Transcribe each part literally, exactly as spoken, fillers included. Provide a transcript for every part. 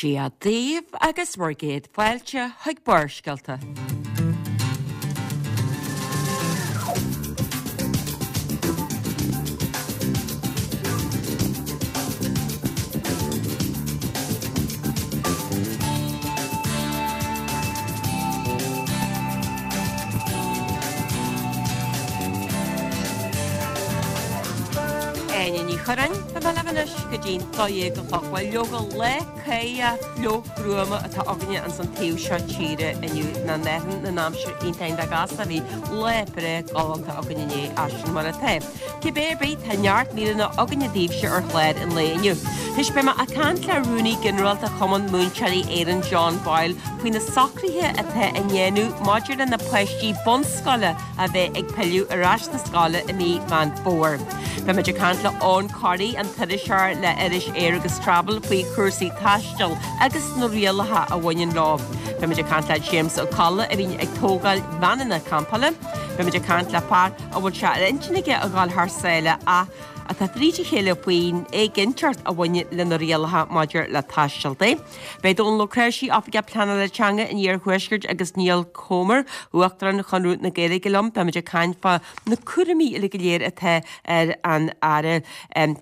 Dia daoibh agus bhur gcéad fáilte chuig Barrscéalta. Áine Ní Churráin, Tá mé libh anois go dtí'n dó dhéag a chlog. Bhuel, leoga, lá cáidheach fliuch gruama atá againne ins an taobh seo tíre inniu, ná ndéarfainn na n-aimsir iontach iontach gasta, bhí lá breá galánta againn inné, ach sin mar atá. Cibé ar bith, tá neart míreanna againne daoibhse ar chlár an lae inniu. Anois beidh mé ag caint le Rúnaí Ginearálta Chumann Múinteoirí Éireann John Boyle faoi na socruithe atá á ndéanamh maidir le na páistí bunscoile a bheith ag pilleadh ar ais na scoile i mí Mheán Fómhair. Beimid ag caint le Eoghan Corry, an t-iriseoir le iris Air agus Travel faoi chúrsaí taistil agus na rialacha a bhaineann leo. Beimid ag caint le James Ó Colla a bhíonn ag tógáil veaineanna campála. Beimid ag caint le fear a bhfuil sé ar intinn aige a dhul thar sáile ach atá fríd a chéile faoin éiginnteacht a bhaineann le na rialacha maidir le taisteal de. Beidh Dónal Ó Cnáimhsí, Oifigeach Pleanála Teanga an Iarthuaiscirt agus Niall Comer, Uachtarán Chonradh na Gaeilge liom, beimid ag caint fá na cúraimí uile go léir atá ar an Aire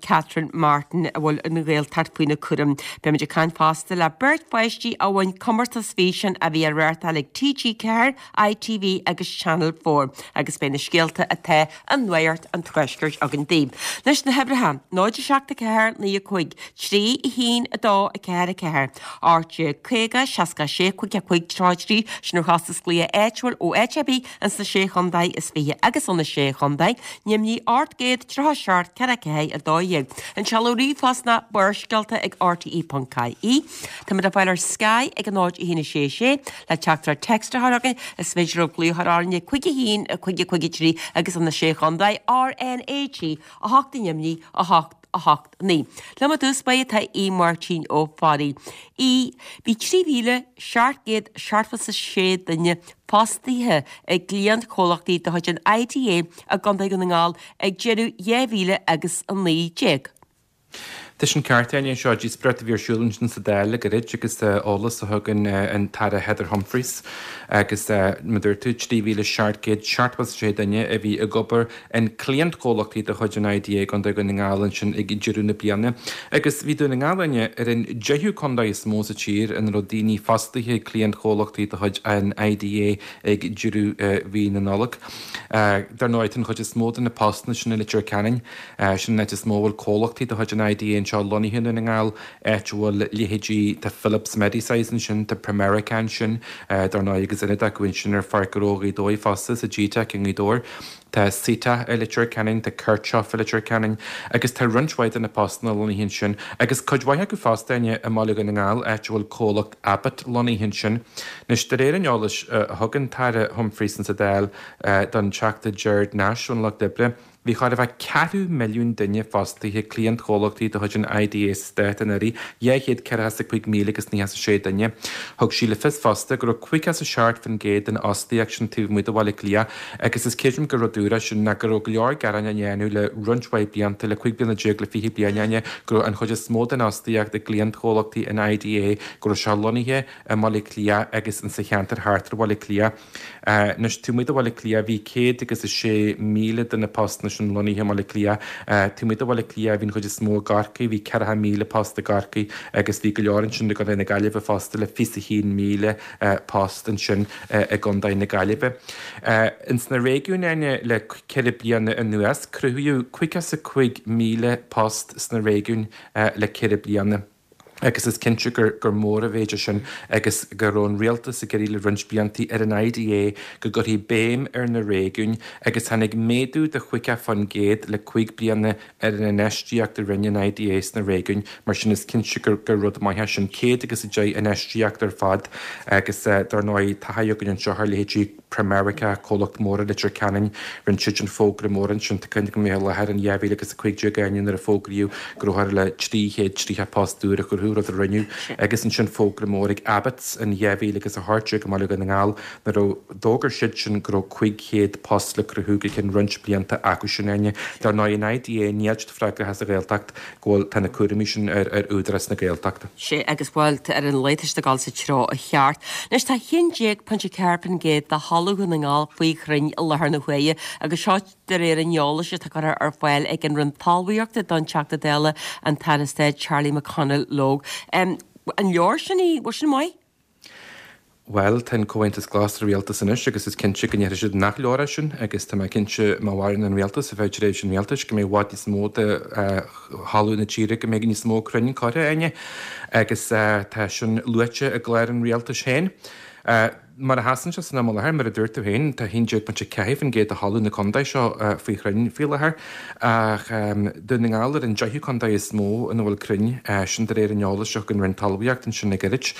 Catherine Martin a bhfuil an Ghaeltacht faoina cúram. Beimid ag caint fosta le beirt pháistí a bhain comórtas físeáin a bhí á reáchtáil ag TG Ceathair, ITV agus Channel Four agus beidh na scéalta atá i Nuacht an Tuaiscirt againn daoibh. Anois na huimhreacha, náid a seacht a ceathair naoi a cúig, trí a haon a dó a ceathair a ceathair, ocht déag caoga seasca a sé cúig a cúig tríocha a trí, sin ar chostas glaoch áitiúil ó áit ar bith ins na Sé Chontae is Fiche agus ó na Sé Chontae, ainmnigh ocht gcéad tríocha a seacht ceathair a ceathair a dó dhéag. An seoladh ríomhphost ná barrscéalta ag rte ponc ie. Táimid le fáil ar Sky ag a náid a haon a sé sé le teachtaireacht text a chur chugainn. Is féidir libh glaoch a chur orainne cúig a haon a cúig a cúig a trí agus ó na Sé Chontae RnaG a hocht ainmnigh a hocht a hocht naoi. Liom i dtús báire tá Aodh Máirtín Ó Fearraigh. Aodh, Bhí trí mhíle seacht gcéad seachtó is a sé duine fostaithe i gcliantchomhlachtaí de chuid an IDA i gContae Dhún na nGall ag deireadh dhá mhíle agus a naoi déag. Tá sin ceart, Áine. Seo díospóireacht a bhí ar siúl ansin sa Dáil le gairid agus eolas a thug an tAire Heather Humphreys agus mar a dúirt tú, trí mhíle seacht gcéad seachtó is a sé duine a bhí ag obair in cliantchomhlachtaí de chuid an IDA i gContae Dhún na nGall ansin ag deireadh na bliana. Agus bhí Dún na nGall, Áine, ar an deichiú contae is mó sa tír ina raibh daoine fostaithe ag cliantchomhlachtaí de chuid an IDA ag deireadh mhí na Nollag. Dar ndóigh, tá an chuid is mó de na postanna sin i Leitir Ceanainn. Sin an áit is mó a bhfuil comhlachtaí de chuid an IDA anseo lonnaithe i nDún na nGall, áit a bhfuil leithéidí, tá Philips Medisize ansin, tá Pramerica ansin, dar ndóigh, agus ionad acu ansin ar Pháirc Ghnó Ghaoth Dobhair fosta, sa G-Teic i nGaoth Dobhair. Tá Sitak i Leitir Ceanainn, tá Kirchhoff i Leitir Ceanainn agus tá roinnt mhaith de na postanna lonnaithe ansin agus cuid mhaith acu fosta, Áine, i mBaile Dhún na nGall, áit a bhfuil comhlacht Abbott lonnaithe ansin. Anois, de réir an eolais a thug an tAire Humphreys insa Dáil don Teachta Gerard Nash ón Lucht Oibre, Bhí chóir a bheith ceathrú milliún duine fostaithe ag cliantchomhlachtaí de chuid an IDA sa stát anuraidh, dhá chéad ceathracha is a cúig míle agus naocha is a sé duine. Thug sí le fios fosta go raibh caoga is a seacht faoin gcéad den fhostaíocht sin taobh amuigh de Bhaile Átha Cliath agus is creidim gur rud úr é sin ná go raibh go leor gearáin á ndéanamh le roinnt mhaith blianta, le cúig bliana déag le fiche bliain, Áine, go raibh an chuid is mó den fhostaíocht i gcliantchomhlachtaí an IDA, go raibh sé lonnaithe i mBaile Átha Cliath agus insa cheantar thart ar Bhaile Átha Cliath. Anois, taobh amuigh de Bhaile Átha Cliath, bhí céad agus a sé míle de na postanna sin lonnaithe i mBaile Átha Cliath. Taobh amuigh de Bhaile Átha Cliath, bhí an chuid is mó i gCorcaigh, bhí ceathracha míle post i gCorcaigh agus bhí go leor ansin i gContae na Gaillimhe fosta le fiche is a haon míle post ansin i gContae na Gaillimhe. Ins na réigiúin, Áine, le ceithre bliana anuas, cruthaíodh caoga is a cúig míle post sna réigiúin le ceithre bliana. Agus is cinnte gur gur mór an mhéid é sin agus go raibh an rialtas ag iarraidh le roinnt blianta ar an IDA go gcuirfí béim ar na réigiúin agus tháinig méadú de chaoga faoin gcéad le cúig bliana ar an infheistíocht a rinne an IDA sna réigiúin. Mar sin is cinnte gur gur rud maith é sin. Céad agus a deich infheistíocht ar fad agus dar ndóigh tá taithí againn anseo ar leithéidí Pramerica, comhlacht mór i Leitir Ceanainn, rinne siad an fógra mór ansin, tá cuimhne agam i láthair in dhá mhíle agus a cúig déag, Áine, nuair a fógraíodh go raibh thar le trí chéad tríocha post úr a chruthú. rinneadh, rud a rinneadh, agus ansin fógra mór ag Abbots in dhá mhíle agus a hocht déag i mBaile Dhún na nGall nuair a d'fhógair siadsan go raibh cúig chéad post le cruthú go ceann roinnt blianta acu sin, Áine. Dar ndóigh an IDA níl siad freagrach as an Ghaeltacht go bhfuil tá na cúraimí sin ar ar Údarás na Gaeltachta. Sea, agus bhuel, ar an lae tá siad ag dul sa treo cheart. Anois tá a haon déag pointe ceathair faoin gcéad de thalamh Dhún na nGall faoi chrainn i láthair na huaire agus seo de réir an eolais atá curtha ar fáil ag an Roinn Talmhaíochta don Teachta Dála an tAire Stáit Charlie McConalogue. Um, an leor sin í, bhfuil sin maith? Bhuel, tá an Comhaontas Glas sa rialtas anois agus is cinnte go ndéarfaidh siad nach leor é sin agus tá mé cinnte má mhaireann an rialtas ar feadh tréimhse an rialtais go mbeidh i bhfad níos mó de thalamh na tíre go mbeidh níos mó crainn curtha Áine agus tá sin luaite i gclár an rialtais féin. Mar a sheasann sé san am i láthair, mar a dúirt tú féin, tá a haon déag pointe ceathair faoin gcéad de thalamh na contae seo faoi chrainn faoi láthair, ach Dún na nGall ar an deichiú contae is mó ina bhfuil crainn, sin de réir an eolais a thug an Roinn Talmhaíochta ansin le gairid.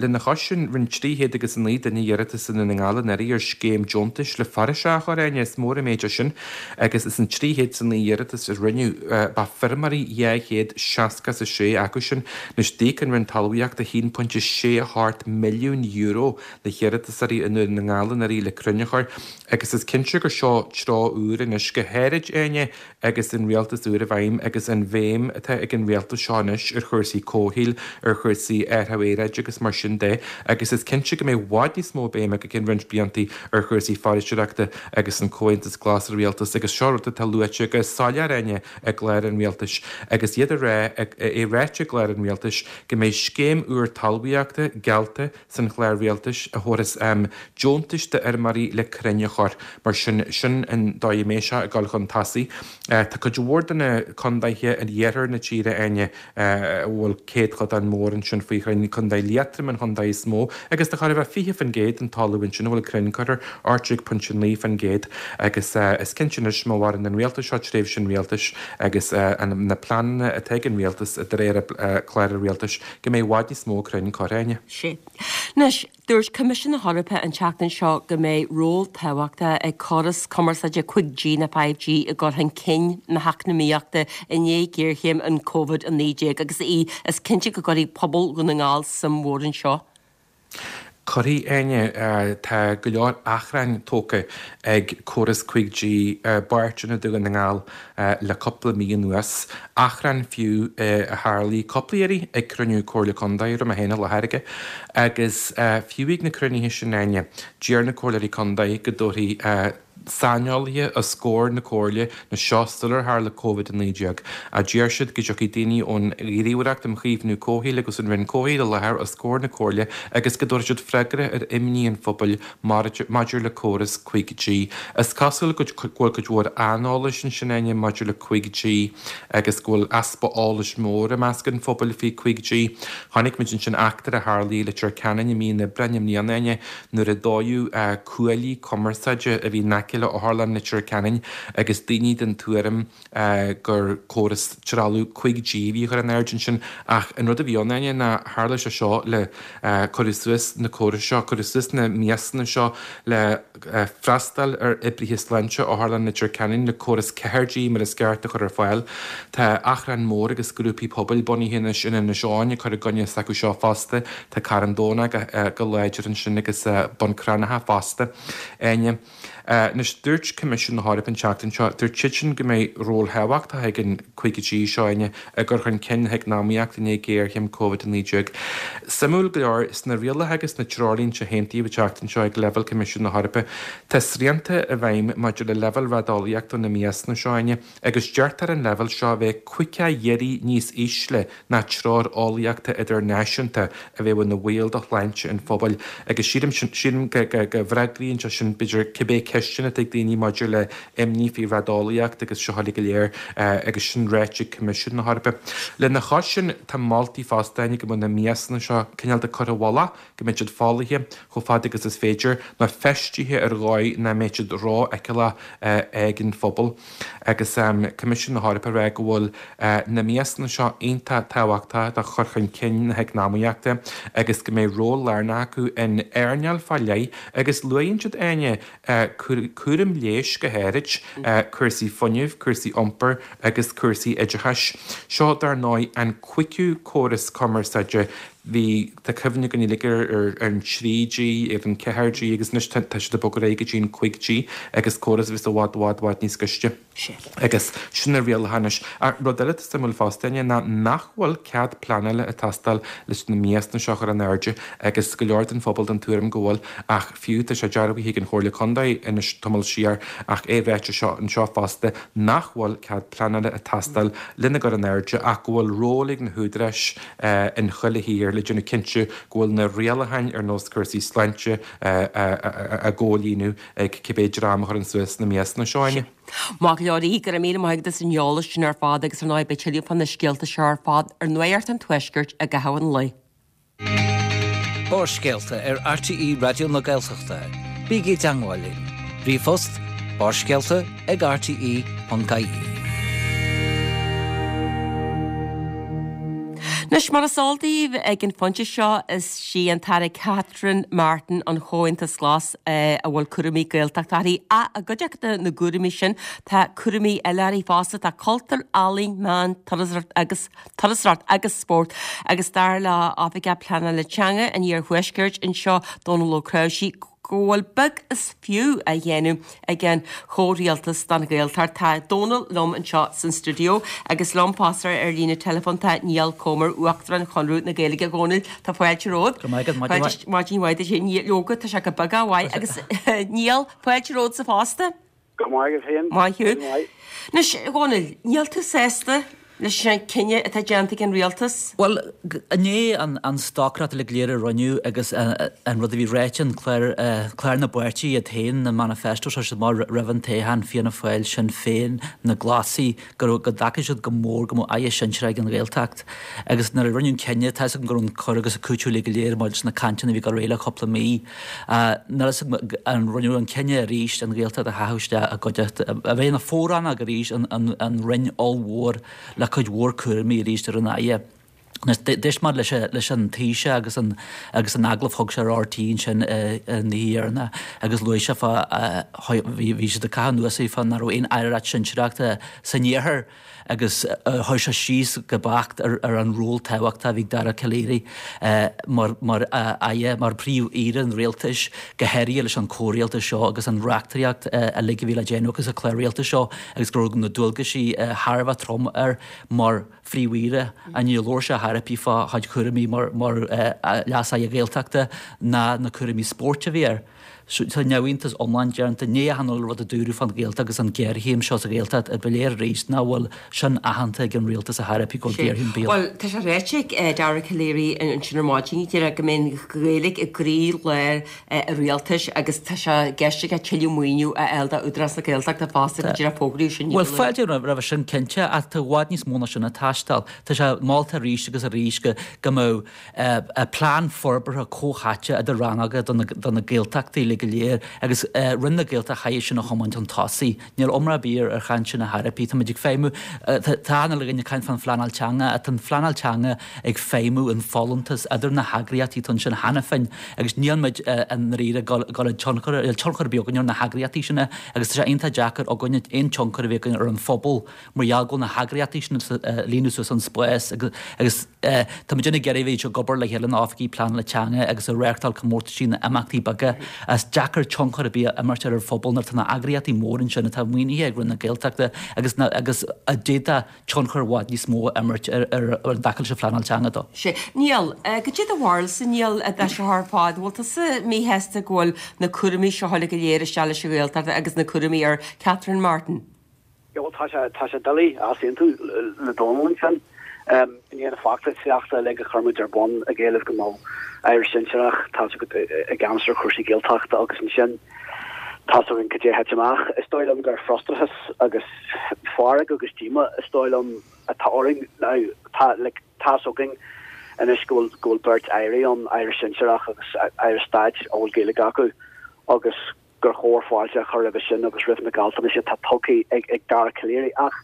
Lena chois sin, rinne trí chéad agus a naoi duine iarratas i nDún na nGall anuraidh ar scéim deontais le foraoise a chur, Áine, is mór an méid é sin, agus as an trí chéad is a naoi iarratas a rinneadh, ba feirmeoirí dhá chéad seasca is a sé acu sin. Anois, d'íoc an Roinn Talmhaíochta a haon pointe sé a hocht milliún euro le hiarratasóirí i nDún na nGall anuraidh le crainn a chur agus is cinnte gur seo treo úr anois, go háirid, Áine, agus an rialtas úr i bhfeidhm agus an bhéim atá ag an rialtas seo anois ar chúrsaí comhshaoil, ar chúrsaí athrú aeráide agus mar sin de agus is cinnte go mbeidh i bhfad níos mó béime go ceann roinnt blianta ar chúrsaí foraoiseoireachta agus an Comhaontas Glas sa rialtas agus seo rud atá luaite go soiléir, Áine, i gclár an rialtais agus iad a rá, é ráite i gclár an rialtais go mbeidh scéim úr talmhaíochta geallta san chlár rialtais a thabharfas deontais d'fheirmeoirí le crainn a chur. Mar sin, sin an dóigh a mbeidh sé ag dul chun tosaigh. Tá cuid mhór de na condaetha in iarthar na tíre, Áine, a bhfuil céadchodán mór ansin faoi chrainn, Condae Liatroim an chondae is mó, agus tá chóir a bheith fiche faoin gcéad den talamh ansin a bhfuil crainn curtha, ocht déag pointe naoi faoin gcéad. Agus is cinnte anois, má mhaireann an rialtas seo tréimhse an rialtais agus na pleananna atá ag an rialtas de réir chlár an rialtais, go mbeidh i bhfad níos mó crainn curtha, Áine. Sea. Anois, dúirt Coimisiún na hEorpa an tseachtain seo go mbeidh ról tábhachtach ag córas cumarsáide cúig G nó five G i gcur chun cinn na heacnamaíochta i ndiaidh ghéarchéim an Covid a naoi déag agus í is cinnte go gcuirfidh pobal Dhún na nGall suim mhór anseo. Cuirfidh, Áine. Tá go leor achrainn tógtha ag córas cúig G i bpáirteanna de Dhún na nGall le cúpla mí anuas, achrann fiú a tharlaigh cúpla iarraidh ag cruinniú Comhairle Contae a raibh mé féin i láthair aige. Agus fiú ag na cruinnithe sin, Áine, d'iarr na Comhairleoirí Contae go dtabharfaí saineolaithe os comhair na Comhairle na seo sular tharla Covid a naoi déag, ach d'iarr siad go dtiocfaidh daoine ón Ghníomhaireacht um Chaomhnú Comhshaoil agus an Roinn Comhshaoil i láthair os comhair na Comhairle agus go dtabharfaidh siad freagra ar imní an phobail maidir le córas cúig G. Is cosúil go bhfuil cuid mhór aineolais ansin, Áine, maidir le cúig G agus go bhfuil easpa eolais mór i measc an phobail faoi cúig G. Chonaic muid ansin eachtra a tharlaigh i Leitir Ceanainn i mí an Aibreáin i mbliana, Áine, nuair a dódh cuaillí cumarsáide a bhí in aice le Otharlann Leitir Ceanainn agus daoine den tuairim gur córas trealamh cúig G a bhí á chur in airde ansin ach an rud a bhí ann, Áine, ná tharla sé seo le cuireadh suas na córais seo, cuireadh suas na miasanna seo le freastal ar oibrithe sláinte Otharlann Leitir Ceanainn le córas ceathair G mar is ceart a chur ar fáil. Tá achrann mór agus grúpaí pobail bunaithe anois in Inis Eoghain ag cur i gcoinne s'acu seo fosta. Tá Carn Domhnach go láidir ansin agus Bun Cranncha fosta. Áine. Anois, dúirt Coimisiún na hEorpa an tseachtain seo, dúirt siadsan go mbeidh ról thábhachtach ag an cúig G seo, Áine, i gcur chun cinn na heacnamaíochta i ndiaidh géarchéim Covid a naoi déag. Suimiúil go leor, sna rialacha agus sna treoirlínte a haontaíodh an tseachtain seo ag leibhéal Coimisiún na hEorpa, tá srianta i bhfeidhm maidir le leibhéal raideolaíochta na miasanna seo, Áine, agus deirtear an leibhéal seo a bheith caoga oiread níos ísle ná treoir eolaíochta idirnáisiúnta a bheadh ina bhaol do shláinte an phobail agus sílim sílim go bhfreagraíonn sé sin b'fhéidir cibé ceisteanna atá ag daoine maidir le imní faoi raideolaíocht agus seo uilig go léir agus sin ráite ag Coimisiún na hEorpa. Lena chois sin tá moltaí fosta Áine go mbeadh na miasanna seo cineál de curtha i bhfolach, go mbeadh siad folaithe chomh fada agus is féidir, nó feistithe ar dhóigh nach mbeadh siad rófheiceálach ag an phobal. Agus Coimisiún na hEorpa ag rá go bhfuil na miasanna seo iontach tábhachtach do chur chun cinn na heacnamaíochta agus go mbeidh ról lárnach acu in earnáil fá leith agus luaíonn siad, Áine, cúram leighis go háirid, cúrsaí fuinnimh, cúrsaí iompair agus cúrsaí oideachais. Seo dar ndóigh an cúigiú córas cumarsáide. Bhí, tá cuimhne againn uilig ar an trí G, ar an ceathair G agus anois tá siad ag bogadh ar aghaidh go dtí an cúig G agus córas a bheas i bhfad, bhfad, bhfad níos gaiste. Agus sin na rialacha anois. Ach rud eile atá suimiúil fosta, Áine, ná nach bhfuil cead pleanála ag teastáil leis na miastanna seo a chur in airde agus go leor den phobal den tuairim go bhfuil ach fiú tá sé dearbhaithe ag an Chomhairle Contae anois tamall siar ach é ráite seo anseo fosta nach bhfuil cead pleanála ag teastáil lena gcur in airde ach go bhfuil ról ag na húdaráis in chuile thír le déanamh cinnte go bhfuil na rialacháin ar nós cúrsaí sláinte á gcomhlíonadh ag cibé dream a chuireann suas na miastanna seo, Áine. Maith go leor, go raibh míle maith agat as an eolas sin ar fad agus ar ndóigh beidh tuilleadh fá na scéalta seo ar fad ar Nuacht an Tuaiscirt i gcaitheamh an lae. Barrscéalta ar RTÉ Raidió na Gaeltachta. Bígí i dteagmháil linn. Ríomhphost, barrscéalta ag rte ponc ie. Anois, mar is eol daoibh ag an phointe seo, is sí an tAire Catherine Martin an Chomhaontas Glas a bhfuil cúraimí Gaeltachta uirthi. Ach i gcuideachta na gcúraimí sin, tá cúraimí eile uirthi fosta, tá cultúr, ealaín, meáin, turasóireacht agus turasóireacht agus spórt. Agus dar le Oifigeach Pleanála Teanga an Iarthuaiscirt anseo, Dónal Ó Cnáimhsí, go bhfuil beag is fiú á dhéanamh ag an chomhrialtas don Ghaeltacht. Tá Dónal liom anseo san stiúideo agus liom fosta ar líne teileafóin tá Niall Comer, Uachtarán Chonradh na Gaeilge. A Dhónaill, tá fáilte romhat. Go maith agat, maidin mhaith. Maidin mhaith duit. Leoga, tá sé go beag mhaith agus Niall, fáilte romhatsa fosta. Go maith agat féin. Maith thú. Anois, a Dhónaill, níl tú sásta leis an cinneadh atá déanta ag an rialtas? Bhuel, i ndiaidh an an stocaireacht uilig go léir a rinneadh agus an rud a bhí ráite in clár clár na bpáirtí iad féin, na manifestos a chuir siad amach roimh an toghchán, Fianna Fáil, Sinn Féin, na Glasaigh, go raibh go dtacaigh siad go mór go mbeadh aire sinsearach ag an Ghaeltacht. Agus nuair a rinneadh an cinneadh, tá 'fhios agam go raibh an cur agus an cúiteamh uilig go léir maidir leis na cainteanna a bhí ag dul ar aghaidh le cúpla mí. Níl 'fhios agam an rinneadh an cinneadh arís an Ghaeltacht a chaitheamh isteach i gcuideachta, a bheith ina fo-rannóg arís an an Roinn ollmhór le cuid mhór cúraimí arís ar an Aire. D'éist mé leis leis an Taoiseach agus an agus an agallamh a thug sé ar RTÉ ansin an oíche dheireanach agus luaigh sé fá bhí bhí siad ag caitheamh anuas air fá nach raibh aon aireacht sinsearachta san iarthar agus chuir sé síos go beacht ar ar an ról tábhachtach a bhí ag Dara Calleary mar mar aire mar phríomh-aoire an rialtais go háirithe leis an chomhrialtas seo agus an reachtaíocht uilig a bhí le déanamh acu sa chlár rialtais seo agus go raibh na dualgaisí thar a bheith trom air mar Phríomh-Aoire. Níor labhair sé ar chor ar bith fá chuid chúraimí mar Leas-Aire Gaeltachta ná na cúraimí spóirt a bhí air. Tá neamhiontas iomlán déanta. I ndiaidh achan uile rud a dúradh fán Ghaeltacht agus an ghéarchéim seo sa Ghaeltacht, ba léir arís nach bhfuil sin aitheanta ag an rialtas ar chor ar bith go bhfuil géarchéim béil. Bhuel, tá sé ráite ag Dara Calleary ansin ar maidin, díreach go mbeidh an Ghaeilge i gcroí-lár an rialtais agus tá sé i gceist aige tuilleadh maoiniú a fháil d'Údarás na Gaeltachta fosta go díreach fógraíodh sin. Bhuel, fáilte roimhe sin cinnte, ach tá i bhfad níos mó ná sin ag teastáil. Tá sé molta arís agus arís go go mbeadh plean forbartha comhtháite idir rannóga do na do na Gaeltachtaí uilig go léir agus Roinn na Gaeltachta chaithfidh sin a thiomáint chun tosaigh. Níl iomrá ar bith ar chaint sin ar chor ar bith. Táimid ag feidhmiú, tá an uile dhuine ag caint fán phleanáil teanga ach tá an phleanáil teanga ag feidhmiú in folúntas idir na heagraíochtaí atá ansin cheana féin agus níl muid i ndáiríre ag dul ag tionchar, níl tionchar ar bith againn ar na heagraíochtaí sin agus tá sé iontach deacair againne aon tionchar a bheith againn ar an phobal mar gheall go bhfuil na heagraíochtaí sin ag líonadh suas an spás agus tá muid ag iarraidh bheith ag obair le chéile na oifigigh pleanála teanga agus ag reáchtáil comórtaisí na imeachtaí beaga. Is deacair tionchar ar bith a imirt ar an phobal nuair atá na heagraíochtaí móra ansin atá maoinithe ag Roinn na Gaeltachta agus agus a d'fhéadfadh tionchar i bhfad níos mó a imirt ar ar an dtaca leis an phleanáil teanga dó. Sea. Niall, cad é do bharúilsa, Niall, de seo ar fad? Bhfuil tusa míshásta go bhfuil na cúraimí seo uilig go léir isteach leis an Ghaeltacht agus na cúraimí ar Catherine Martin? Yeah, bhuel, tá sé, tá sé doiligh easaontú le Dónal ansin. I ndiaidh na feachtasaíochta uilig a chuir muid ar bun ag éileamh go mbeadh aire sinsearach, tá i gceannas ar chúrsaí Gaeltachta agus ansin tá's againn cad é a thit amach. Is dóigh liom gur frustrachas agus fearg agus díomá is dóigh liom atá orainn. Now, tá, like, tá's againn anois go bhfuil, go bhfuil beirt airí ann, aire sinsearach agus aire stáit a bhfuil Gaeilge acu agus gur chóir fáilte a chur roimhe sin agus roimh na gealltanais atá tugtha ag Dara Calleary. Ach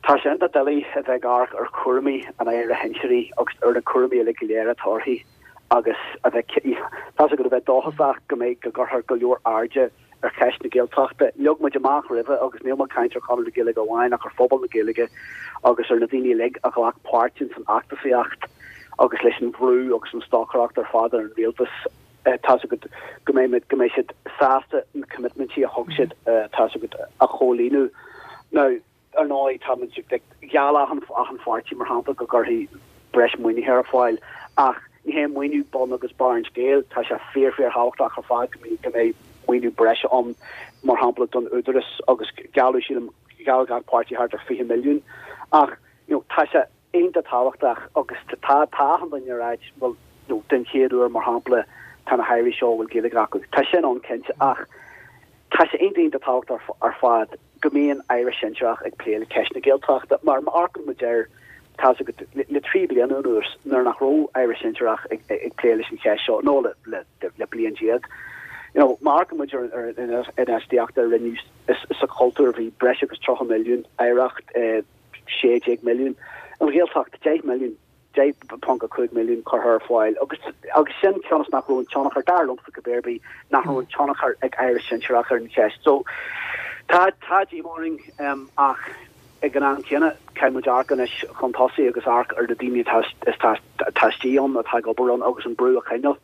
tá sé iontach doiligh a bheith ag amharc ar chúraimí an Aire Shinsearaigh agus ar na cúraimí uilig go léir atá uirthi agus a bheith, tá's agat, a bheith dóchasach go mbeidh, go gcuirfear go leor airde ar cheist na Gaeltachta. Leag muid amach roimhe, agus níl mé ag caint ar Chonradh na Gaeilge amháin ach ar phobal na Gaeilge agus ar na daoine uilig a ghlac páirt ins an fheachtasaíocht agus leis an bhrú agus an stocaireacht ar fad ar an rialtas, tá's agat, go mbeidh go mbeidh siad sásta na commitmentí a thug siad, tá's agat, a chomhlíonadh. Now, ar ndóigh, tá muid ag, gheall achan, achan pháirtí, mar shampla, go gcuirfí breis maoinithe ar fáil, ach ní hé maoiniú bun agus barr an scéil, tá sé fíor, fíorthábhachtach ar fad go mbeidh, go mbeidh maoiniú breise ann, mar shampla, don Údarás agus gealladh, sílim, gheall gach páirtí thart ar fiche milliún. Ach, you know, tá sé iontach tábhachtach agus tá, tá achan duine ag ráit, bhuel, you know, den chéad uair, mar shampla, tá na hairí seo a bhfuil Gaeilge acu. Tá sin ann cinnte ach tá sé iontach iontach tábhachtach ar fad go mbíonn aire sinsearach ag plé le ceist na Gaeltachta mar má amharcann muid air tá's agat le trí bliana anuas nuair nach raibh aire sinsearach ag ag plé leis an cheist seo nó le le le bliain déag. You know, má amharcann muid ar ar an infheistíocht a rinneadh sa chultúr bhí breis agus tríocha milliún, oidhreacht sé déag milliún, an Ghaeltacht deich milliún. deich ponc a cúig milliún curtha ar fáil agus agus sin cionn is nach raibh an tionchar, dar liomsa cibé ar bith, nach raibh an tionchar ag Aire sinsearach ar an cheist. So tá tá díomá orainn ach ag an am céanna caithfidh muid amharc anois chun tosaigh agus amharc ar na daoine atá atá atá istigh ann, atá ag obair ann agus an brú a choinneáil.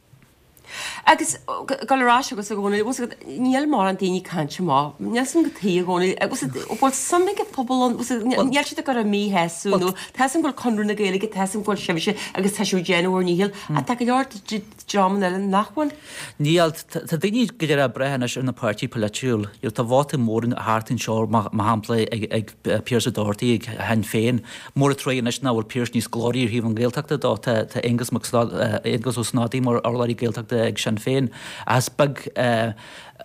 Agus dul ar ais agus a Dhónaill, bhfuil fhios agat, níl mórán daoine ag caint amach, níl fhios agam cad chuige a Dhónaill, bhfuil fhios agat, bhfuil suim ag an phobal ann, bhfuil fhios agat, níl siad ag cur a míshásamh nó tá fhios agam go bhfuil Conradh na Gaeilge, tá fhios agam go bhfuil sibhse agus tá sibh ag déanamh bhur ndícheall, ach tá go leor dreamanna eile nach bhfuil. Níl, tá daoine go deireadh ag brath anois ar na páirtí polaitiúil, tá vóta mór thart anseo mar shampla ag Pearse Doherty ag Shinn Féin, Mór an truaighe anois nach bhfuil Pearse níos glóraí ar thaobh an Ghaeltachta dó. Tá Aengus Mac Aengus Ó Snodaigh mar urlabhraí Gaeltachta ag Sinn Féin. Ach is beag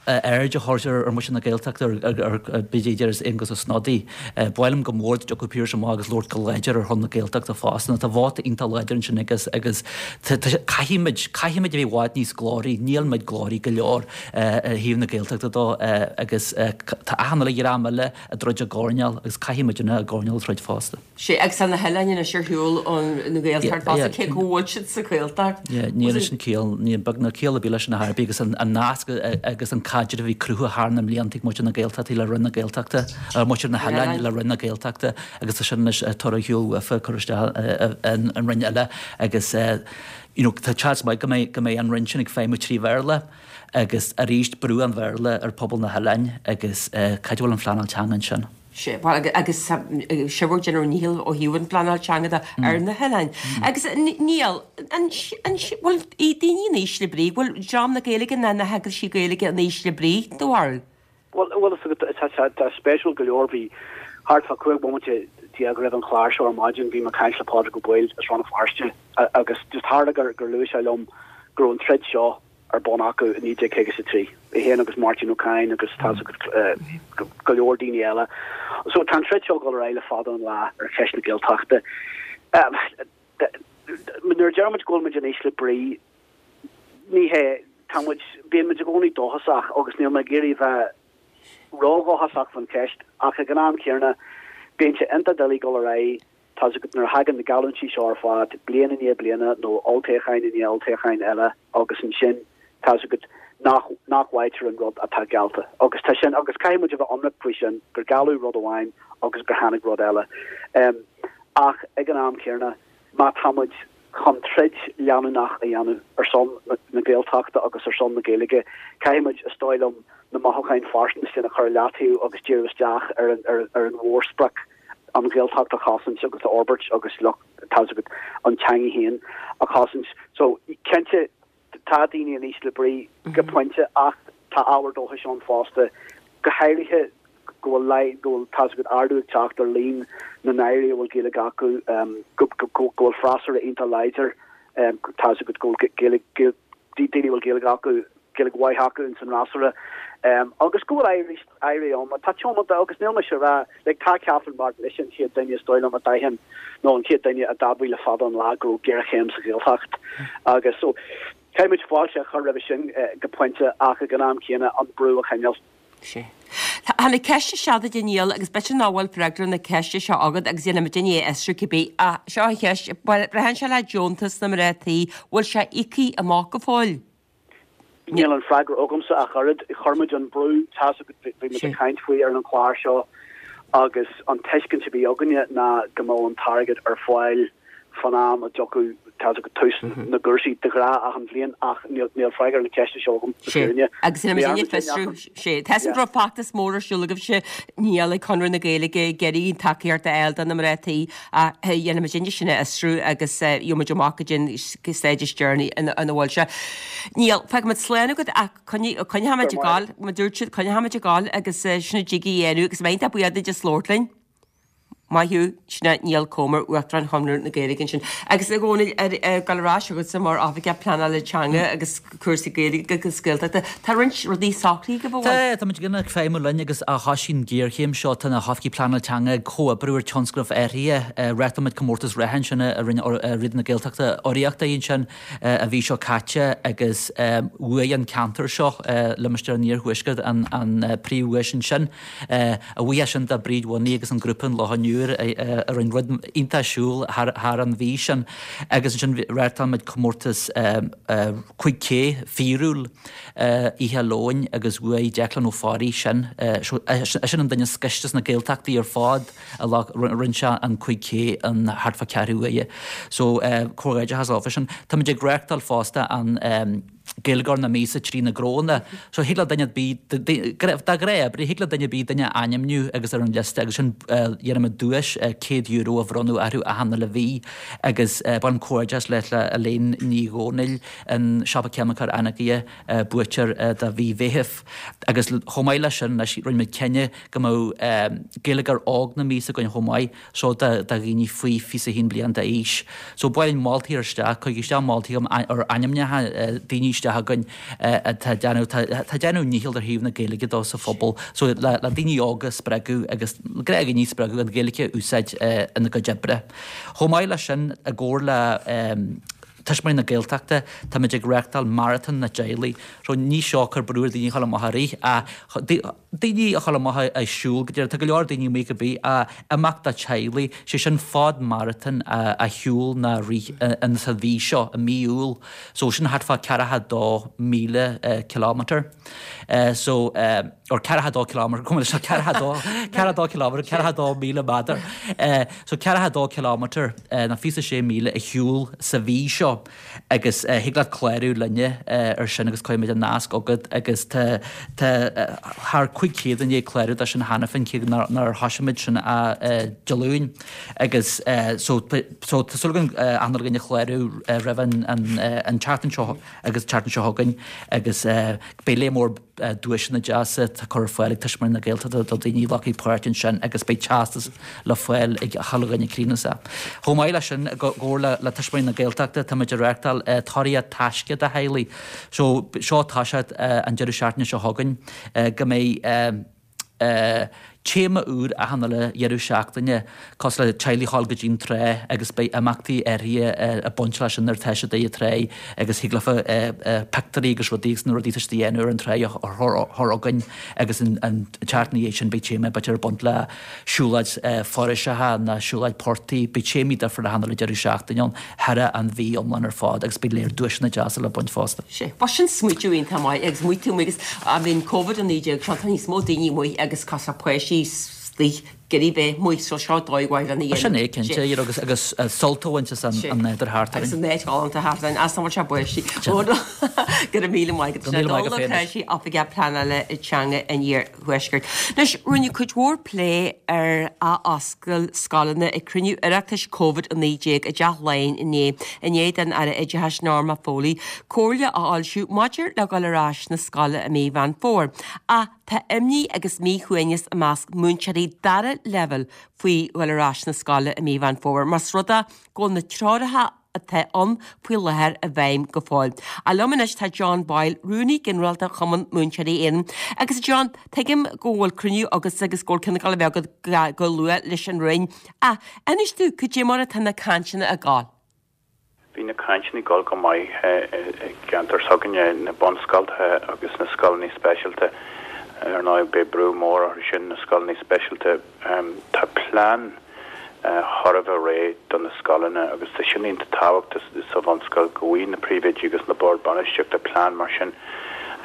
aird a chuirtear ar mhuintir na Gaeltachta ar b'fhéidir is Aengus Ó Snodaigh. Ba mhaith liom go mór dá dtiocfadh Pearse amach agus labhairt go láidir ar shon na Gaeltachta fosta. Tá vóta iontach láidir ansin agus agus caithfimid caithfimid a bheith i bhfad níos glóraí. Níl muid glóraí go leor ar thaobh na Gaeltachta dó agus tá achan uile dhream eile ag troid i gcoirnéal agus caithfidh muidne i gcoirnéal a throid fosta. Sea, agus tá na hoileáin anois ar shiúl ón nGaeltacht fosta, cé go bhfuil siad sa Ghaeltacht. Yeah, níl leis an ciall, níl beag ná ciall ar bith leis an ar bith agus an nasc agus an caidreamh a bhí cruthaithe thar na mblianta ag muintir na Gaeltachta le Roinn na Gaeltachta, muintir na hoileáin le Roinn na Gaeltachta agus tá sin anois tugtha ar shiúl uafa, curtha isteach in Roinn eile agus you know tá seans maith go mbeidh go mbeidh an Roinn sin ag feidhmiú trí Bhéarla. Agus arís brú an Bhéarla ar phobal na hoileáin agus cá bhfuil an phleanáil teanga ansin? Sea, bhuel agus sibh ag déanamh bhur ndícheall ó thaobh an phleanáil teanga de ar na hoileáin. Agus Niall, an bhfuil daoine in ísle brí, bhfuil dream na Gaeilge ná na heagraisí Gaeilge in ísle brí, do bharúil? Bhuel, bhuel, tá sé spéisiúil go leor, bhí thart fá cúig bomaite déag roimh an chlár seo ar maidin, bhí mé ag caint le Pádraig Ó Baoill as Rann na Feirste agus just tharla gur luaigh sé liom go raibh an troid seo ar bun acu i naoi déag caoga is a trí, é féin agus Máirtín Ó Cadhain agus tá's agat go leor daoine eile. So tá an troid seo ag dul ar aghaidh le fada an lá ar cheist na Gaeltachta. Nuair a deir muid go bhfuil muid in ísle brí, ní hé, tá muid, bíonn muid i gcónaí dóchasach agus níl mé ag iarraidh bheith ródhóchasach faoin cheist ach ag an am céanna bíonn sé iontach doiligh dul ar aghaidh Tá's agat, nuair a thagann na geallúintí seo ar fad, bliain i ndiaidh bliana nó olltoghcháin i ndiaidh olltoghcháin eile agus ansin, tá's agat, nach, nach bhfaightear an rud atá geallta. Agus tá sin, agus caithfidh muid a bheith ionraic faoi sin, gur gealladh rud amháin agus gur tháinig rud eile. Ach ag an am céanna, má tá muid chun troid leanúnach a dhéanamh ar son na Gaeltachta agus ar son na Gaeilge, caithfidh muid, is dóigh liom, na mothúcháin phearsanta sin a chur i leataobh agus díriú isteach ar an, ar an mhórsprioc. an Ghaeltacht a chosaint agus a fhorbairt agus lucht, tá's agat, an teanga féin a chosaint. So, cinnte, tá daoine in ísle brí go pointe ach tá ábhar dóchais ann fosta, go háirithe go bhfuil, go bhfuil, tá's agat, ardú ag teacht ar líon na n-airí a bhfuil Gaeilge acu, go, go, go bhfuil freasúra iontach láidir, tá's agat, go bhfuil Gaeilge, daoine a bhfuil Gaeilge acu, Gaeilge mhaith acu ins an fhreasúra agus go bhfuil airí airí ann atá tiomanta agus níl mise ag rá like tá Catherine Martin ise an chéad duine is dóigh liom a d'aithin nó an chéad duine a d'admhaigh le fada an lá go raibh géarchéim sa Ghaeltacht agus so caithfidh muid fáilte a chur roimhe sin go pointe ach ag an am céanna an brú a choinneáil. Sea. Tháinig ceist isteach duit a Niall agus b'fhéidir nach bhfuil freagra na ceiste seo agat agus déanfaidh muid é a fhiosrú cibé. Ach seo an cheist, braitheann sé le deontas na mná tí, bhfuil sé íoctha amach go fóill? Níl an freagra agamsa ach oiread. Chuir muid an brú, tá a fhios agat, bhí muid ag caint faoi ar an chlár seo agus an tuiscint a bhí againne ná go mbeadh an t-airgead ar fáil fan am a dtiocfadh, tá a fhios agat, tús na gcúrsaí de ghnáth achan bhliain ach níl níl freagra ar na ceisteanna seo agam le fírinne. Agus ina muidinne fiosrú, sé. Tá an raibh feachtas mór ar siúl agaibhse Niall ag Conradh na Gaeilge ag iarraidh tacaíocht a fháil do na mná tí ach dhéanfaidh muidinne sin a fhiosrú agus gheobhaidh muid amach go dtí an staid is deireanaí ina bhfuil sé. Niall, fágfaidh muid slán agat ach coinneoidh muid ag gabháil, mar a dúirt siad, coinneoidh muid ag gabháil agus sin a dtig a dhéanamh agus mbeidh iontach buíoch duit as labhairt linn. Maith thú, sin é Niall Comer, Uachtarán Chonradh na Gaeilge ansin. Agus a Dhónaill, ag dul ar ais chugatsa mar Oifigeach Pleanála Teanga agus cúrsaí Gaeilge agus Gaeltachta, tá roinnt rudaí socraithe agaibh, an bhfuil? Tá, tá muid ag feidhmiú linn agus ó thosaigh an ghéarchéim seo, tá na hoifigigh pleanála teanga ag comhoibriú ar tionscnaimh áirithe. Reáchtáil muid comórtas reatha ansin a rinne Raidió na Gaeltachta urraíocht air ansin an mhí seo caite agus bhuaigh an ceantar seo, Limistéar an Iarthuaiscirt, an príomhdhuais ansin. A bhuíochas sin do Bríd Mhoney agus an grúpa An Loch An Iúir a rinne rud iontach siúl thar an mhí sin agus ansin reáchtáil muid comórtas cúig K fíorúil oíche Luain agus bhuaigh Declan Ó Fearraigh sin. Sin an duine is gaiste sna Gaeltachtaí ar fad a rinne sé an cúig K in thart fá ceathrú uaire. So comhghairdeachas leofa sin. Táimid ag reáchtáil fosta an Gaeilgeoir na Míosa trí na gCnónna. So thig le duine ar bith, de ghnáth, thig le duine ar bith duine a ainmniú agus ar an liosta agus sin déanaimid duais céad euro a bhronnadh orthu achan uile mhí agus bain comhghairdeas le le Elaine Ní Dhomhnaill, an Siopa Ceimiceach Anagaire, buaiteoir do mhí Mheithimh. Agus chomh maith leis sin anois rinne muid cinneadh go mbeadh Gaeilgeoir Óg na Míosa againn chomh maith. So do dhaoine faoi fiche a haon bliain d'aois. So ba mhaith linn moltaí a chur isteach, cuirigí isteach moltaí ar ainmneacha daoine isteach againn atá ag déanamh, tá ag déanamh nícheall ar thaobh na Gaeilge dó sa phobal. So le daoine óga a spreagadh agus gnáthdhaoine a spreagadh an Ghaeilge a úsáid ina gcuid oibre. Chomh maith leis sin, i gcomhar le Tuismitheoirí na Gaeltachta, táimid ag reáchtáil Maratón na dTeaghlaigh. So ní seo cur brú ar daoine a dhul amach a rith ach daoine a dhul amach ag siúl go deireadh. Tá go leor daoine amuigh cibé ach imeacht do teaghlaigh, sé sin fad maratón a shiúl nó a rith in sa mhí seo, i mí Iúil. So sin thart fá ceathracha dó míle kilometre. So or ceathracha dó kilometre, go bhfuil sé ceathracha dó, ceathracha dó kilometre, ceathracha dó míle méadar. So ceathracha dó kilometre nó fiche sé míle a shiúl sa mhí seo agus thig leat clárú linne ar sin agus cuirfidh muid an nasc chugat agus tá tá thar cúig chéad i ndiaidh clárú dó sin cheana féin cé nár nár thosaigh muid sin ach Dé Luain agus so so tá súil againn achan duine a chlárú roimh an an an tseachtain seo agus an tseachtain seo chugainn agus beidh léar mór duaiseanna deasa á cur ar fáil ag Tuismitheoirí na Gaeltachta do dhaoine a ghlacfaidh páirt ansin agus beidh teastas le fáil ag chuile dhuine a chríochnós é. Chomh maith leis sin, i gcomhar le Tuismitheoirí na Gaeltachta, táimid ag reáchtáil Tóraíocht Taisce do theaghlaigh. So, seo ag toiseacht an deireadh seachtaine seo chugainn go mbeidh téama úr achan uile dheireadh seachtaine, cosúil le teaghlaigh a ghabháil go dtí an trá agus beidh imeachtaí áirithe ag baint leis sin nuair atá siad ag an trá agus thig leofa pictiúirí agus rudaí agus na rudaí atá siad a dhéanamh ar an trá a chur chugainn agus an tseachtain ina dhiaidh sin beidh téama b'fhéidir ag baint le siúlóid foraoiseacha nó siúlóid portaigh, beidh téamaí difriúla achan uile deireadh seachtaine ann thar an mhí iomlán ar fad agus beidh léar duaiseanna deasa le baint fosta. Sea, bhuel sin smaoitiú iontach maith agus amuigh tú amuigh agus I mean Covid a naoi déag seo tá níos mó daoine amuigh agus cosúil páistí istigh ag iarraidh bheith amuigh so seo dóigh mhaith lena dhéanamh. Sin é cinnte, you know, agus agus sult a bhaint as an nádúr thart orainn. Agus an áit ghalánta thart orainn, as an bhfuil sé báistí. Go raibh míle maith agat. Go raibh míle maith agat féin. Dónall Ó Cráisigh, Oifigeach Pleanála Teanga an Iarthuaiscirt. Anois, rinneadh cuid mhór plé ar athoscailt scoileanna ag cruinniú Oireachtais Covid a naoi déag i dTeach Laighean inné, i ndiaidh don Aire Oideachais Norma Foley comhairle a fhoilsiú maidir le dhul ar ais na scoile i mí Mheán Fómhair. Ach tá imní agus míshuaimhneas i measc múinteoirí dara leibhéal faoi dhul ar ais na scoile i mí Mheán Fómhair más rud é go bhfuil na treoracha atá ann faoi láthair i bhfeidhm go fóill. Ach liom anois tá John Boyle, Rúnaí Ginearálta Chumann Múinteoirí Éireann. Agus a John, tuigim go bhfuil cruinniú agatsa agus go bhfuil ceann ag dul a bheith agat go luath leis an Roinn. Ach inis domh, cad é mar atá na cainteanna ag gabháil? Bhí na cainteanna ag dul go maith i gceantar s'againne, na bunscoltacha agus na scoileanna speisialta. Ar ndóigh, beidh brú mór orthu sin, na scoileanna speisialta. Tá plean thar a bheith réidh do na scoileanna agus tá sin iontach tábhachtach sa bhunscoil go bhfaighidh na príomhoidí agus na boird bainistíochta plean mar sin.